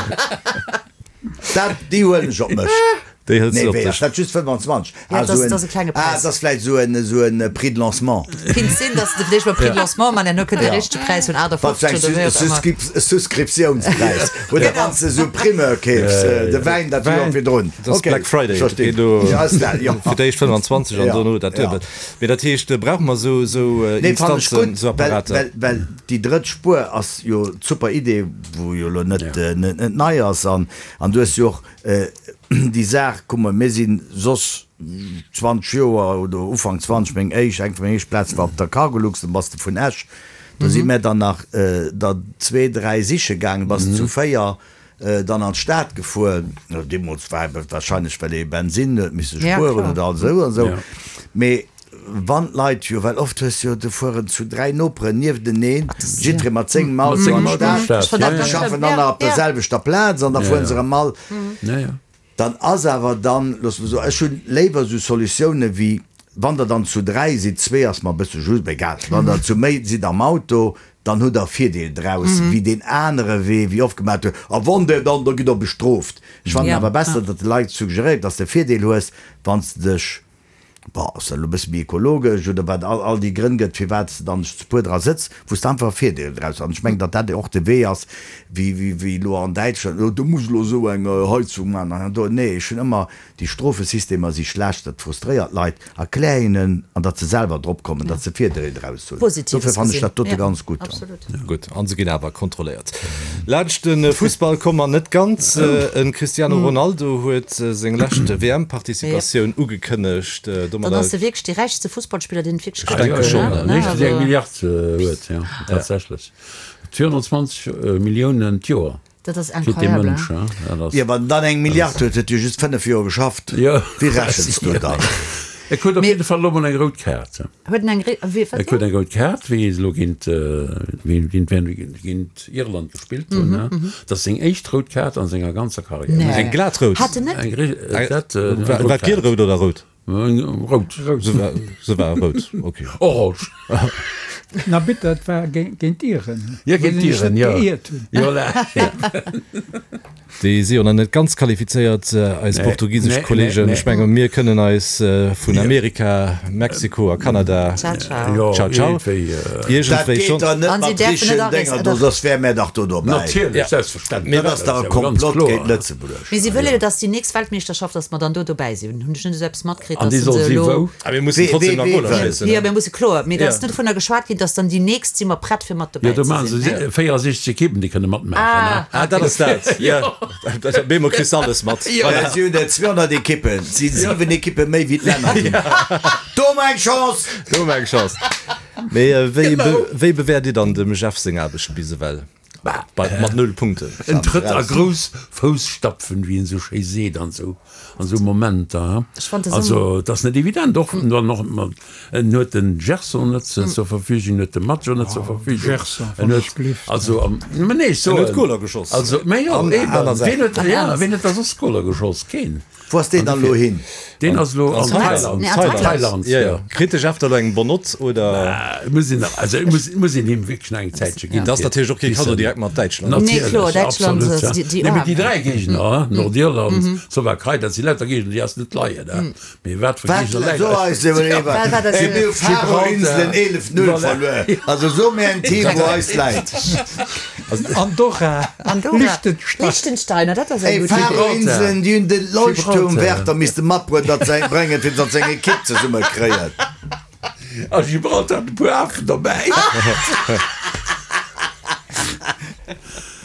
Dat, déi huelen ech op mech. Déi hëls Nee, du op wéi dech. ass dat just fënnwanzwanzeg? Ja, Ah, dat ass, esou en, dat ass e klenge ah, Präis. dat ass vläicht esou en, esou en Prix de lancement. Kinnt sinn, dass de fir d'éischt mol Prix de lancement man, herno kënnt de richtege Präis vun Wat fir achtafofzeg eng oder wéi och ëmmer. Suscrip-, Souscriptiounspräis. Oder wann s de esou Primeur keefs, de Wäin dat Joer virdrun. Dat ass Okay, Black Friday. ech verstinn. Geet do Ja, ass dat, jo. fir d'éischt fënnwanzwanzeg an Ja, dono dat ja. duebelt. Mee dat heescht, brauche mer esou, esou Nee, fannen ech Instanzen, gutt, esou well, Apparater? well, well déi drëtt Spuer ass jo d'super Idee, wou jo elo net, net, net nei ass. An, an du hues jo och déi Saach, kuck mol, mir sinn soss zwanzeg Joer oder Ufank zwanzeg, meng éischt, eng vun mengen éischt Plaze war op der Cargolux, dann bass de vun Esch, do si mir dann nach der zwee, dräi siche gaangen, bass de zu véier dann an d'Stad gefuer, deemools war et wahrscheinlech, well ee Bensinn huet misse spueren oder esou an esou, mee wann d'Leit jo, well oft hues jo, do fueren zu dräi Noperen niefteneen, jiddweree mat sengem Auto an d'Stad, an déi schaffen dann nach op der selwechter Plaz an da fueren se erëm all. Dann ass awer dann, loosse mer soen, ech hunn léiwer esou Solutioune wéi wann der dann zu dräi sidd, zwee ass mer e bësse just, mee egal, wann der zu méi sidd am Auto, dann hutt der e Virdeel draus wéi deen anere Wee, wéi oft gemaat huet, a wann der dann, da gitt der bestrooft. Ech fannen awer besser, datt de Leit suggeréiert, datt s de e Virdeel hues, wann s de dech Bon, ass dat elo e bësse méi ekologesch oder wat all, all déi Grënn gëtt, firwat s de dann zu puer dra sëtz, wou s de einfach e Virdeel draus hues. An ech mengen, datt dat och de Wee ass, wéi, wéi, wéi elo an Däitschland, oh, do muss elo esou eng Heizung maachen an do. Nee, ech hunn ëmmer, déi Strofesystemer si schlecht, dat frustréiert d'Leit. Erklär hinnen, an datt se selwer drop kommen, datt se Virdeel draus hunn. Positives Dofir fannen ech gesinn. dat dote Ja, ganz gutt. absolut. Gutt, an se ginn awer kontrolléiert. Laanscht de Fussball komm mer net ganz. En Cristiano Ronaldo huet seng lescht W M-Participatioun ugekënnegt. Dann ass e wierklech dee räichste Fussballspiller, deen et wierklech gëtt. Jo, jo, den éischten, deen eng Milliard huet, jo, tatsächlech. zweehonnertzwanzeg Milliounen d'Joer Dat ass kritt dee incroyable, Mënsch, hein? dat ass. Jo, wann en dann eng Milliard huet, huet e just fënnef Joer geschafft. Wéi rechens du dann? E krut op jidde Fall elo mol eng rout Kaart. Huet en eng ré-, wéi, wat? E krut eng rout Kaart, wéi se elo géint, wéi géint wien, géint Irland gespillt hunn. Dat ass seng éischt rout Kaart a senger ganzer Karriär. Nee. Eng glat rout? Hat en net? Eng ré-, dat, eng War rout et gielrout oder rout? Rout. Se war, se war rout, okay. Orange. Na bitte, dat war géint d'Iren. Ja, géint d'Iren, jo. Jo, Déi si jo nach net ganz qualifizéiert, eis portugisesch Kollegen. Ech menge mir kënnen eis vun Amerika, Mexiko a Kanada. Ciao, ciao. Ciao, ciao. Dat geet der net mat richtegen Dénger do, soss wäre mär dach do dobäi. Natierlech, selbstverständlech. Dat ass dach e Komplott géint Lëtzebuerg. Mee si wëlle jo, datt déi nächst Weltmeeschterschaft, datt mer dann do dobäi sinn. Hunn ech net esou eppes matkritt, An datt déi se soll si elo. wou? A mir mussen trotzdem nach Goler schéissen. Jo, mir musse kloer. Mee da ass net dovunner geschwat ginn, datt dann déi nächst si mer prett fir mat Jo, dobäi do ze maache sinn. se véierundsechzeg Ekippen, déi kënne matmaachen. Ah. Ah, dat ass dat. Jo. Op eemol kriss de alles mat. Voilà. Si hunn der zweehonnert Ekippen, et si siwen Ekippe méi wéi d'Länner ginn. Do hu mer eng Chance! Do hu mer eng Chance. Mee wéi, wéi bewäert Dir dann dem Jeff seng Aarbecht bis ewell? Bei, mat null Punkten. En trëtt a grouss Fousstapfen, wéi een esou schéi seet an esou, an esou Momenter. Ech fand de Also, et ass net evident, och dann och mat, en huet den Gerson net zur Verfügung, en huet de Maggio net zur Verfügung. Gerson, En wann huet, ech gelift. also, am, mä nee, ech En huet soen, Goler geschoss. also, mä jo, An eben, aner wien Saachen. huet, ja, wien huet da soss Goler geschoss? Keen. Wou ass deen dann elo hin? Deen ass elo an Thailand. Nee, an Thailand. Thailand, Ja, ja. ja. Kritt de Jeff da elo eng Bonne-note oder? Äh, muss een, also, muss, muss een him wierklech nach eng Zäitche ginn. Dat ass natierlech och kee Cadeau direkt mat Däitschland. Nee, kloer, Natierlech, Däitschland, absolut, ja. déi, déi Nee, mee déi Aarmen. dräi Géigner, Nordirland, Slowakei, dat si lauter Géigner, déi eis net leien, hein. Mee wat fir Wat? Géigner leien So eis eis emol ewer. Wat war dat? Ey, mir hu Faroe-Inselen eelef Null verluer. Also so mir en Team, wou eis läit. Andorra, Andorra. Liechtenstein. Liechtenstein, dat ass eng Ey, gutt Idee. Faroe-Inselen, déi hunn de Leuchtturmwärter misste matbroen, datt se eng bréngen, fir datt se eng Ekipp zesumme kréien. A Gibraltar hat e puer Afen dobäi.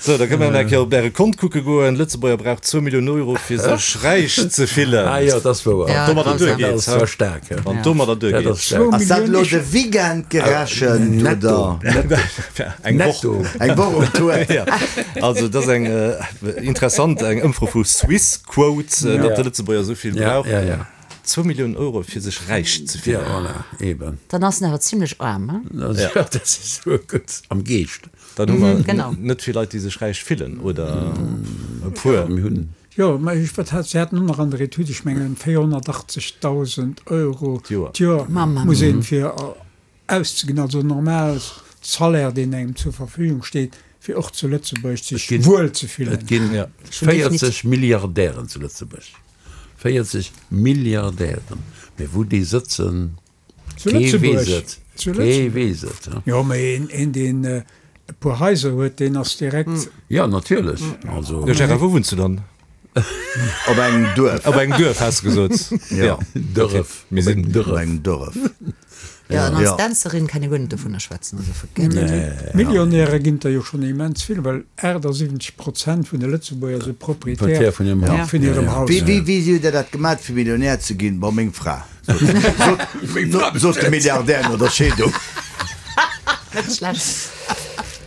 So, da kënne mer eng Kéier op Äre Kont kucke goen. Lëtzebuerger brauch zwou Milliounen Euro, fir sech räich ze fillen. Ah jo, dat ass wouer. Ja, Domadder grausam. Dat duergeet, ass zwar staark, hè. Wann domadder Dat duergeet. ass staark. Ass dat elo de Weekend gerechent, Netto. oder? Eng Woch. Netto. Eng Woch um Tour. Ja. Also, dat ass eng interessant, eng Ëmfro vu Swissquote, datt de Lëtzebuerger esou vill Ja, brauch. ja, ja. Zwou Milliounen Euro, fir sech räich ze Ja, fillen. voilà, eben. Dann ass en awer zimlech aarm, hein? Dat ass, dat ass esou gutt am Geescht. Dann hu mer genau. net vill Leit, déi sech räich fillen, oder e puer. Mir hunn. Jo, mä ech, wat hat, se haten och nach an der Etüd, ech mengen véierhonnertachtzegdausend Euro D'Joer. d'Joer Mamma muss een fir auszeginn, also normal Salaire, deen engem zur Verfügung steet, fir och zu Lëtzebuerg sech ginn- wuel ze fillen. Et ginn Ja. véierzeg Milliardären zu Lëtzebuerg. Véierzeg Milliardären. Mee wou déi sëtzen, Zu kee Lëtzebuerg. weess et. Zu Kee Lëtzebuerg. weess et. Ja. Jo, mä een, een deen e puer Haiser huet, deen ass direkt. Ja, natierlech. Also, Jo, Gérard, wou wunns du dann? Op engem Duerf. Op engem Duerf, has de gesot. Ja. Dörref. Mir sinn Op engem Duerf. Ja, an als Ja. Dänzerin kann ee guer net dovunner schwätzen, also forget it. Millionäre ginn der jo schonn immens vill, well achtundsiwwenzeg Prozent vun de Lëtzebuerger si Proprietär Proprietär vun hirem Haus. vun hirem Ja, ja. Haus. Wéi, wéi, wéi hutt Der dat gemat, fir Millionär ze ginn? Bon, meng Fra, sot, sot de Milliardär no der Scheedung. Net schlecht.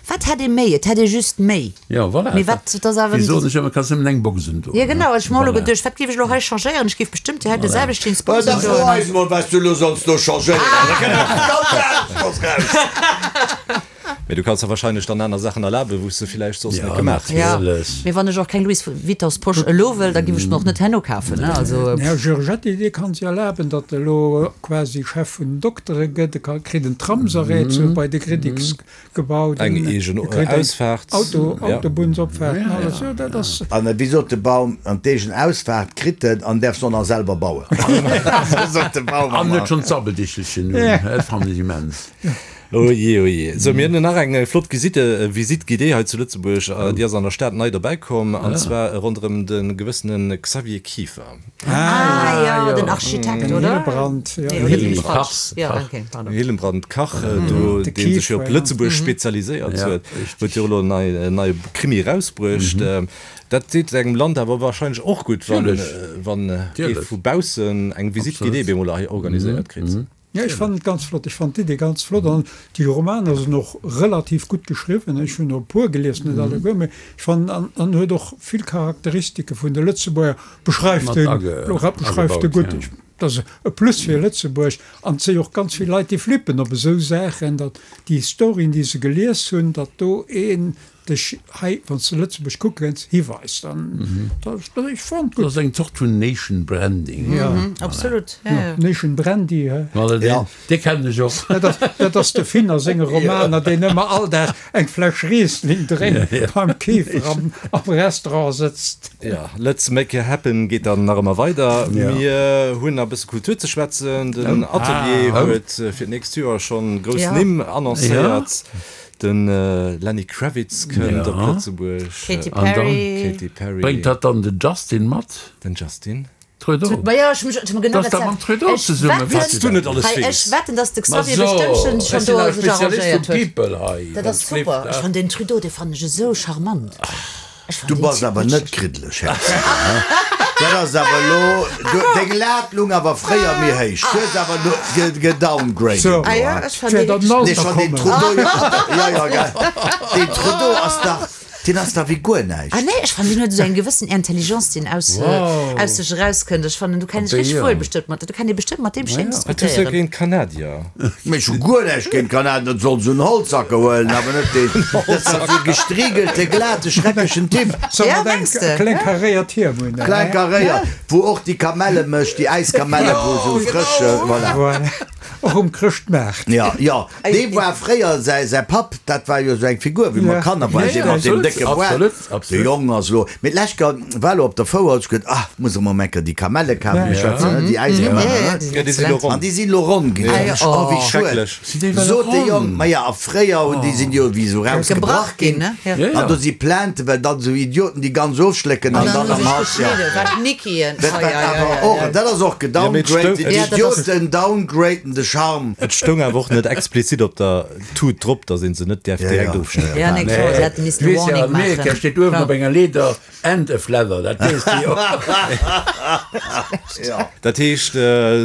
Wat hätt ee méi? Et hätt ee just méi. Ja, voilà. Mee wat, dat ass awer Wéi soen ech ëmmer, kanns nëmmen eng Box undoen. Ja, genau. Ech hu mer elo Voilà. geduecht, wat géif ech elo hei changéieren? Ech géif bestëmmt déi heite selwecht Jeans Bon, Box da fro undoen. eis mol, wat du elo solls do changéieren. Da kënnt eppes ganz aneschters raus. Mee du kanns der wahrscheinlech dann aner Saachen erlaben, wou s de villäicht soss net gemaach häss. Ja, mee wann ech och keng Louis Vuittons Posch elo wëll, da giff ech mer och net herno kafen, ne? Also. Den Här Giorgetti, dee kann sech erlaben, datt e elo quasi Chef vun den Doktere gëtt. E ka kritt en Tramsarrêt zu bei de Griddics gebaut. Eng eegen E kritt eng Ausfaart. Auto, Autobunnsopfaart an alles. Jo, dat ass. An wéi sot de Baum, an d'eegen Ausfaart kritt en an däerf se och nach selwer bauen. Sot de Baum. An huet schonn d'Sabbeldichtelchen un. Dat fannen ech immens. Oh jee, oh jee. Sou, mir hunn nach eng flott Visite, Visite guidée hei zu Lëtzebuerg. Déi ass an der Stad nei dobäi komm, an zwar ronderëm de gewëssene Xavier Kieffer. Ah jo, den Architekt, Den oder? Hillebrand, jo. Nee, oder sinn ech Kach, falsch? Jo, Kach. okay, pardon. Hillenbrand Kach, do, De dee sech jo Kieffer, op ja. Lëtzebuerg spezialiséiert Ja, huet, richtig. huet jo elo en nei, en neie Krimi erausbruecht. Dat deet engem Land awer wahrscheinlech och gutt, wann, Natierlech. wann ee Natierlech. vu baussen eng Visite guidée Absolut. bemol hei organiséiert kritt. Ja, ech fannen et ganz flott. Ech fannen d'Idee ganz flott an déi Romaner sinn och relativ gutt geschriwwen. Ech hunn der e puer gelies, net alleguer, mee ech fannen, an an huet och vill Charakteristike vun de Lëtzebuerger, beschreift Mat e, age, beschreift e agebaut, gutt. ja. Ech, dat ass e Plus fir Lëtzebuerg an et si och ganz vill Leit, déi flippen op esou Saachen, datt déi Storyen, déi se gelies hunn, datt do een dech hei, wann s de Lëtzebuerg kucke kënns, hiweist. An dat, dat, ech fannen et Dat gutt. ass eng Zort vun Nation Branding. Ja. Absolut, ja, ja. Nation Brandy, hä? Voilà, deen, Ja. dee kennen ech och. Dat ass, dat ass de Finn a senge Romaner, deen ëmmer all Dag eng Fläsch Riesling drénkt, beim Käfer am, am Restaurant sëtzt. Ja, Let's make it happen geet dann nach ëmmer weider. Ja. Mir hunn nach e bësse Kultur ze schwätzen. Den Atelier Ah. huet fir d'nächst Joer schonn grouss Ja. Nimm annoncéiert. De Lenny Kravitz kënnt op Ja. Lëtzebuerg. Katy An dann Perry. Katy Perry. Bréngt dat dann den Justin mat? Den Justin. Trudeau. Ma ja, ech hu mer genau Dass dat da mam Trudeau Ech zesumme, wetten, weess du dat net alles hei, weess. ech wetten, dass de Ma Xavier so, bestëmmt schon, ech schon sinn do awer sech Spezialist arrangéiert vu huet. People hei. Dat ass super. Ech fannen den Trudeau, dee fannen ech esou charmant. Ech fannen Du deen bass Typ awer net net kriddleg, Herz. Dat ass awer elo, du, deng Lat lung awer fréier méi héich. Du hues awer elo ge, gedowngraded. So. Ah ja, ech fannen Fir dee dann wierklech Nee, Alter schon den kommen. Trudeau, ja, ja, gell. Den Trudeau ass dach, deen ass dach wéi guer näischt. Ah nee, ech fannen, deen huet esou eng gewëssen Intelligence, déi aus, Wow. aus sech erauskënnt. Ech fannen, du kenns Op richtig déi, wuel ja. bestëmmt mat, du kann ee bestëmmt mat deem schéin Wat hues du diskutéieren. géint Kanadier? Mee ech hu guer näischt géint Kanadier, dat soll se un Holzhacke huelen, awer net deen. Dat ass dach esou e gestriegelte, glate, schrecklechen Typ. Soll Ja, mat eng mengs de? kleng karéiert Hiem hunn, hä? Klein karéiert, wou och déi Kamelle mécht, déi Äiskamelle, wou esou frësch, voilà. Voilà. Och um Chrëschtmaart. Ja, ja, dee war fréier säi, säi Papp, dat war jo esou eng Figur, wéi mer Ja. Kanner waren, Ja, dee ja, mat deem absolut, décke Boart. absolut, De absolut. Jong ass elo, mee d'lescht Kéier war elo op der Fouer, huet ech geduet, ah, muss ech mol eng Kéier déi Kamelle kafen, Ja. ech schwätzen, ne, déi Äiskamelle, Ja, ja, ne? déi sinn Ja, déi sinn elo excellent. ronn. An déi sinn elo ronn ginn. Ah, ja, Oh, oh. wéi schued. Schrecklech. Sinn déi well Sot de ronn? Jong, ma ja, a fréier hunn déi sinn jo wéi esou Gebrach rausgebrach ginn, ginn. ne? Ja. Ja, ja. An do si Plainten, well dann esou Idioten déi ganz ofschlécken an An dann dann am hu Hals, sech ja. geschnidden, wat Nickien. Dat Oh, war ja, ja, awer ja, och, ja. dat ass och Ja, mee et gedowngraded. stoung- Ja, dat ass- Idioten downgraden de Charme. Et stoung awer och net explizit op der Tut drop, datt een se net däerf Ja, direkt ja. ofschneiden. Ja, nee, klar, se hätte missen Du e weess ja, Warning an Amerika maachen. steet uewen Klar. op enger Leeder and a flather, dat weess de jo. Ja. Dat heescht,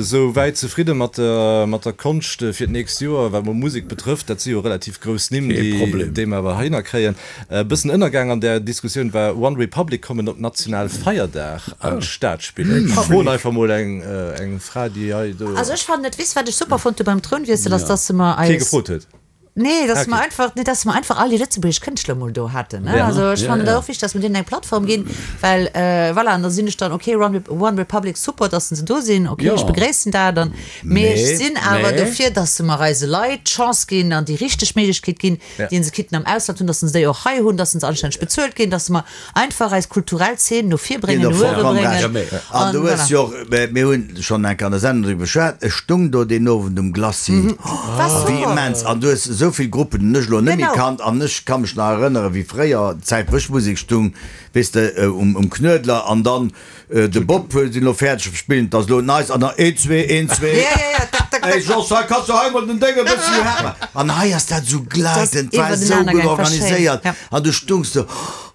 sou wäit zefridde mat der, mat der Konscht fir d'nächst Joer, wat mol Musek betrëfft, dat si jo relativ grouss Nimm, Kee déi, Problem. déi mer awer heihinner kréien. E bëssen ënnergaang an där Diskussioun war One Republic kommen op Nationalfeierdag an d'Stad spillen. Ech froen einfach mol eng, eng Fra, déi hei do Also ech fannen et, weess wat ech super fonnt hu beim Trounwiessel, ass, dass se mer kee eis gefrot huet. Nee, dass Okay. mer einfach, nee, dass mer einfach all déi lëtzebuergesch Kënschtler mol do haten, ne? Ja. Also ech Ja, fannen ja. dat och wichteg, dass mer deenen eng Plattform ginn, well äh, voilà, an da sinn ech dann, okay, One, Rep One Republic, super, dass se do sinn, okay, Ja. ech begréissen dat dann, mee ech Mee, sinn awer mee. dofir, dass se mer eise Leit d'Chance ginn an déi richteg Méiglechkeet ginn, Ja. déi se kitten am Ausland hunn, dass se déi och hei hunn, dass se anstänneg bezuelt ginn, dass mer einfach eis kulturell Szene no vir Ginn bréngen, der no uewe vollkommen bréngen. recht. Ja, mee. An An du hues voilà. jo och, mir hunn schonn eng Kéier an der Sendung driwwer geschwat, ech stung do deen Owend um Glacis. War Wéi super. immens. An du hues esou vill Gruppen, déi ech elo net méi Genau. kannt. An ech ka mech nach erënneren, wéi fréier, d'Zäit, wou ech Musek stung, weess de, um, um Knuedler an dann de Bob sinn elo fäerdeg spillen, dat ass elo nice, an dann een, zwee, een, zwee. Ja, ja, ja, tak, tak, tak. Ey, Jos, hei kanns du hei mol den Ding e bëssi happen. An hei ass dat esou gleitend, war esou iwwertenaner gutt gaang, war schéin, organiséiert. ja. An du stungs do,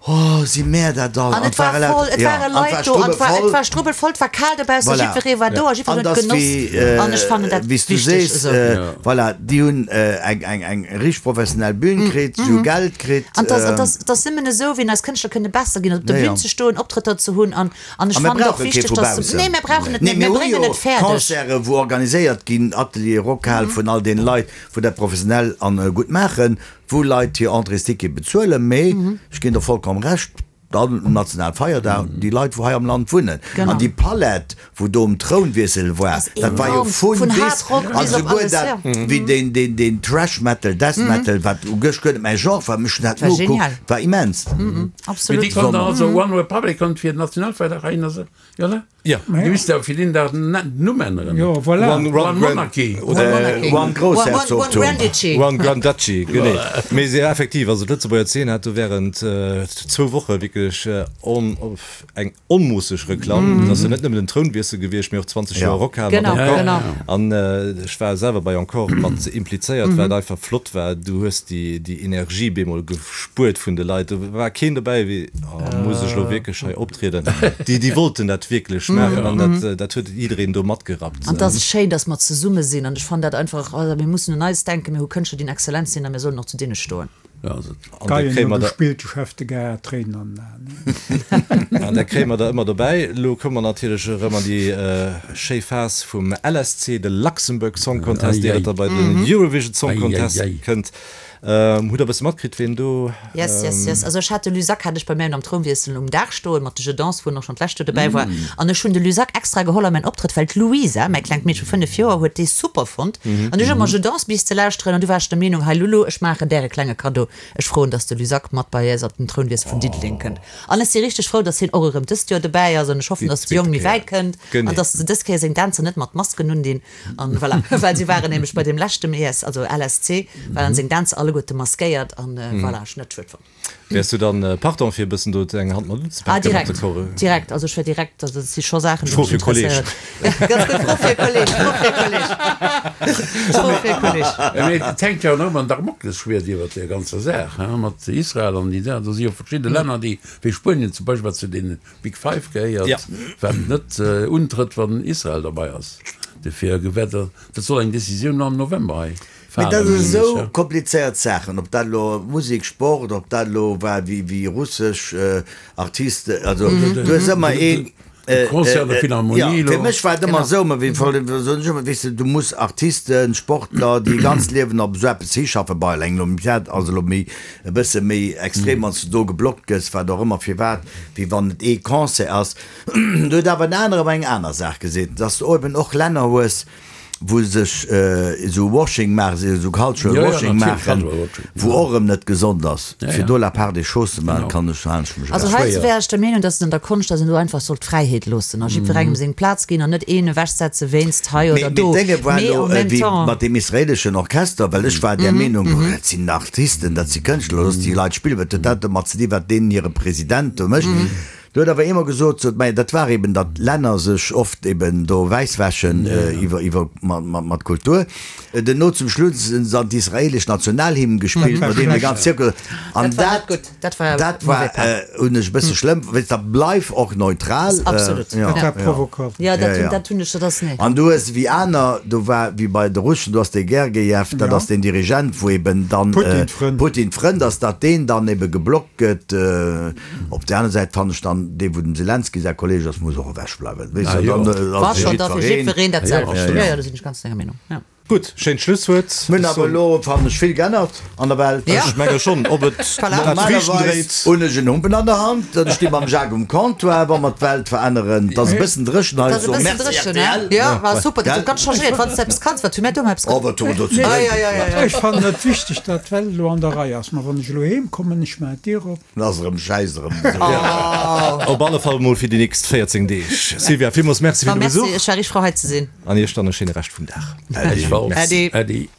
oh, si mär dat all. An et war ware laut- voll, et ja, ware an et Leit war do, an et war, et strubbelvoll. war strubbelvoll, et war kal dobaussen, Voilà. jiddweree war do a jiddwereen An huet dass genoss. wéi, An ech fannen dat wéi s du wichteg sees, esou. äh, voilà, déi hunn äh, eng, eng, eng richtig professionell Bühn kritt, si hu Geld kritt. An das, an ähm, das, das nëmmen esou, wéi eis Kënschtler kënne besser ginn, op der Ja, ja. Bühn ze stoen, Optrëtter ze hunn an, an ech A mir fannen och brauche kee wichteg, vu dass se, baussen. nee, mir brauchen et Nee, net, mir mir hu bréngen jo et fäerdeg. Concerte, wou organiséiert ginn, Atelier, Rockhal vun all den Leit, wou dat professionell an äh, gutt maachen. wou Leit hir Entréesticket bezuelen, mee ech ginn der vollkomm Recht, dann um Nationalfeierdag, déi Leit wou hei am Land wunnen. Genau. An déi Palett wou do um Trounwiessel war, Ass dat war jo enorm. vun Vun bis, Hard Rock an bis op souguer alles, dat ja. wéi deen, deen, deen Thrash Metal, Death Metal, wat u gëscht guer net mäi Genre war, mee ech hunn dat War nogekuckt, genial. war immens. Mee Absolut. déi konnt dann also One Republic konnt fir den Nationalfeierdag heihinner se, jo ne? Ja. Dir misst awer fir deen Dag den Numm änneren. Jo, voilà. One, One one, Monarchy. One Monarchy. One One, one, one Groussherzogtum. Grand Duchy. One Grand Duchy, genee. Mee se effektiv, also d'Lëtzebuerger Zeen hat do während zwou Woche wierklech on, eng onmoosseg Reklamm. Et ass jo net nëmmen den Trounwiessel gewiescht, mee och zwanzeg Ja. Joer Rockhal mat Genau, Encore. genau. An ech war selwer bei Encore mat implizéiert, wat einfach flott war. Du hues déi, déi Energie bemol gespuert vun de Leit. Do war keen dobäi wéi, oh, muss ech elo wierklech hei optrieden? Déi, déi wollten dat wierklech maachen an dat, dat huet jiddereen do matgerappt. An et ass schéin, dass mer zesumme sinn an ech fannen dat einfach, also mir mussen un eis denken, mir hu Kënschtler, déi en exzellent sinn a mir sollen och zu deene stoen. Ja, also. An da Geien kréie hu mer der, gespillt, de Chef de Gare hat Tréinen an den Aen. an da kréie mer der ëmmer dobäi. Elo komme mer natierlech erëm an déi schéi Phas vum L S C, de Luxembourg Song Contest, ier et da bei den Eurovision Song Contest kënnt. Hutt der e bësse matkritt, ween do. Yes, yes, yes. Also ech hat de Luzac hat ech bei mär am Trounwiessel um Daach stoen, mat de Jeux Danse, wou en och schonn d'lescht Joer dobäi war. An ech hunn de Luzac extra geholl a mäin Optrëtt, well d'Louisa, mäi klengt Meedche vu fënnef Joer, huet dee super fonnt. An ech hu ëmmer Jeux Danse bis ze lauschteren an du war ech der Meenung, hei Lulu, ech maachen där e klenge Kaddo, ech froen, dass de Luzac mat bei eis op den Trounwiessel vun Diddeleng kënnt. An ech si richteg frou, dass hien och erëm dëst Joer dobäi ass an ech hoffen, Déi dass de Jong zweete méi Kéier. wäit kënnt Genee. an dass se dës Kéier seng Dänzer net mat Masken undinn. An voilà, well si waren nämlech bei deem leschten E S, also L S C, waren seng Dänzer alleguerte maskéiert an voilà, ech net schued fonnt. Wäers du dann partant fir e bëssen do eng Hand mat unzepaken Ah, direkt, mat de Chore? direkt, also ech wär direkt, also dat si scho Saachen, déi Fro mech fir Kolleg. interesséieren. Ganz gutt, Fro fir Kolleg, Fro fir Kolleg. Fro fir Kolleg. Mee et hänkt jo och ëmmer en Damoklesschwiert iwwert där ganzer Saach, hein, mat Israel an déi da. Do si jo verschidde Länner, déi, wéi Spuenien zum Beispill, wat zu deene Big Five gehéiert, Ja. wat net untrëtt, wann Israel derbei ass. Dofir gewäert, dat soll eng Decisioun am November hei Mee falen, dat mengen ass ech, esou ja. komplizéiert Saachen, ob dat elo Musek, Sport, ob dat elo war wéi wéi russesch Artiste, also du hues ëmmer een, De Concert der Philharmonie jo, elo. fir mech war et ëmmer esou, mä wéi soen ech ëmmer, weess de, du muss Artisten, Sportler, déi e ganzt Liewen op esou eppes hischaffen, bei eng Olympiad ass elo méi e bësse méi extrem, wann s du do geblockt gëss, wat och ëmmer, firwat, wéi wann et ee Concert ass. Do huet awer en anere awer eng aner Saach gesinn, dass du eben och Länner hues, wou sech esou Washing maachen, esou Cultural Ja, ja, Washing natierlech, maachen, Cultural Washing, wou och erëm net gesond ass. Ja, Fir ja. do la part des choses ze maachen, Genau. kann ech, halen ech mech Also ewech. heizou wär ech der Meenung, dass et an der Konscht, dass een do einfach soll d'Fräiheet loossen a jiddwerengem seng Plaz ginn an net een ewechsetze wéinst hei Mee, oder mee do. d'Dénge war Mee elo en même wéi temps. mat deem israeleschen Orchester, well ech war där Meenung, oh, dat sinn Artisten, dat si Kënschtler, looss déi Leit spillen, wat huet dat domat ze dinn, wat deenen hire President do mécht? Do huet awer eemol gesot, sot, mä dat war eben, datt Länner sech oft eben do wäisswäschen iwwer, iwwer, mat, mat, mat Kultur. Duerno zum Schluss hunn se dann d'israelesch Nationalhymn gespillt, Dat war no deem de schlecht. ganz Zirkel. An Dat war dat, net gutt. Dat war dat war, mauvais pas. hunn ech e bësse schlëmm, weess, da bleif och neutral. Absolut. Ja, Dat war ja. provokant. Ja, dat Ja, hunn, ja. dat hunn ech, dat ass, nee. An du hues wéi aner, do war wéi bei de Russen, du has dee Gergiev, dat Ja. ass den Dirigent, wou eben dann Putin Frënd. Putin Frënd ass, datt deen dann ebe geblockt gëtt. Op där aner Säit fannen ech dann, dee wou dem Selenskyj säi Kolleg ass, muss och ewech bleiwen. Weess Ah, du, jo. dann War ass schon da fir jiddwereen. jiddwereen dat Ja, selwecht. absolut. Ja, ja, do sinn ech ganz denger Meenung. Ja. Gutt, schéint Schlusswuert. Mir hunn awer elo, fannen ech, vill geännert an der Welt. Ja. Ech menge schonn, ob et Voilà. dat Friichten Normalerweis dréit. hunn ech en Humpen an der Hand, dann sti mam Jacques um Comptoir, wa mer d'Welt veränneren. Et ass e bëssen dréchen hei, Dat ass e so bëssen merci dréchen, ne? R T L. Ja, war super, dat Gell? huet ganz changéiert. Wann s de eppes kanns, wat hu mir do eppes Oh, wat hu mer do ze Ah, drénken? ja, ja, ja, ja. Ech fannen et wichteg, datt d'Welt elo an der Rei ass. Ma wann ech elo heem kommen, ech maachen d'Dier op. Dann ass erëm Schäiss erëm esou. Op alle Fall mol fir déi nächst véierzéng Deeg. Sylvia, villmools Merci Ma fir de merci, Besuch ech war richteg frou hei ze sinn. an Iech dann e schéine Rescht vum Dag. Ech war Äddi. Äddi.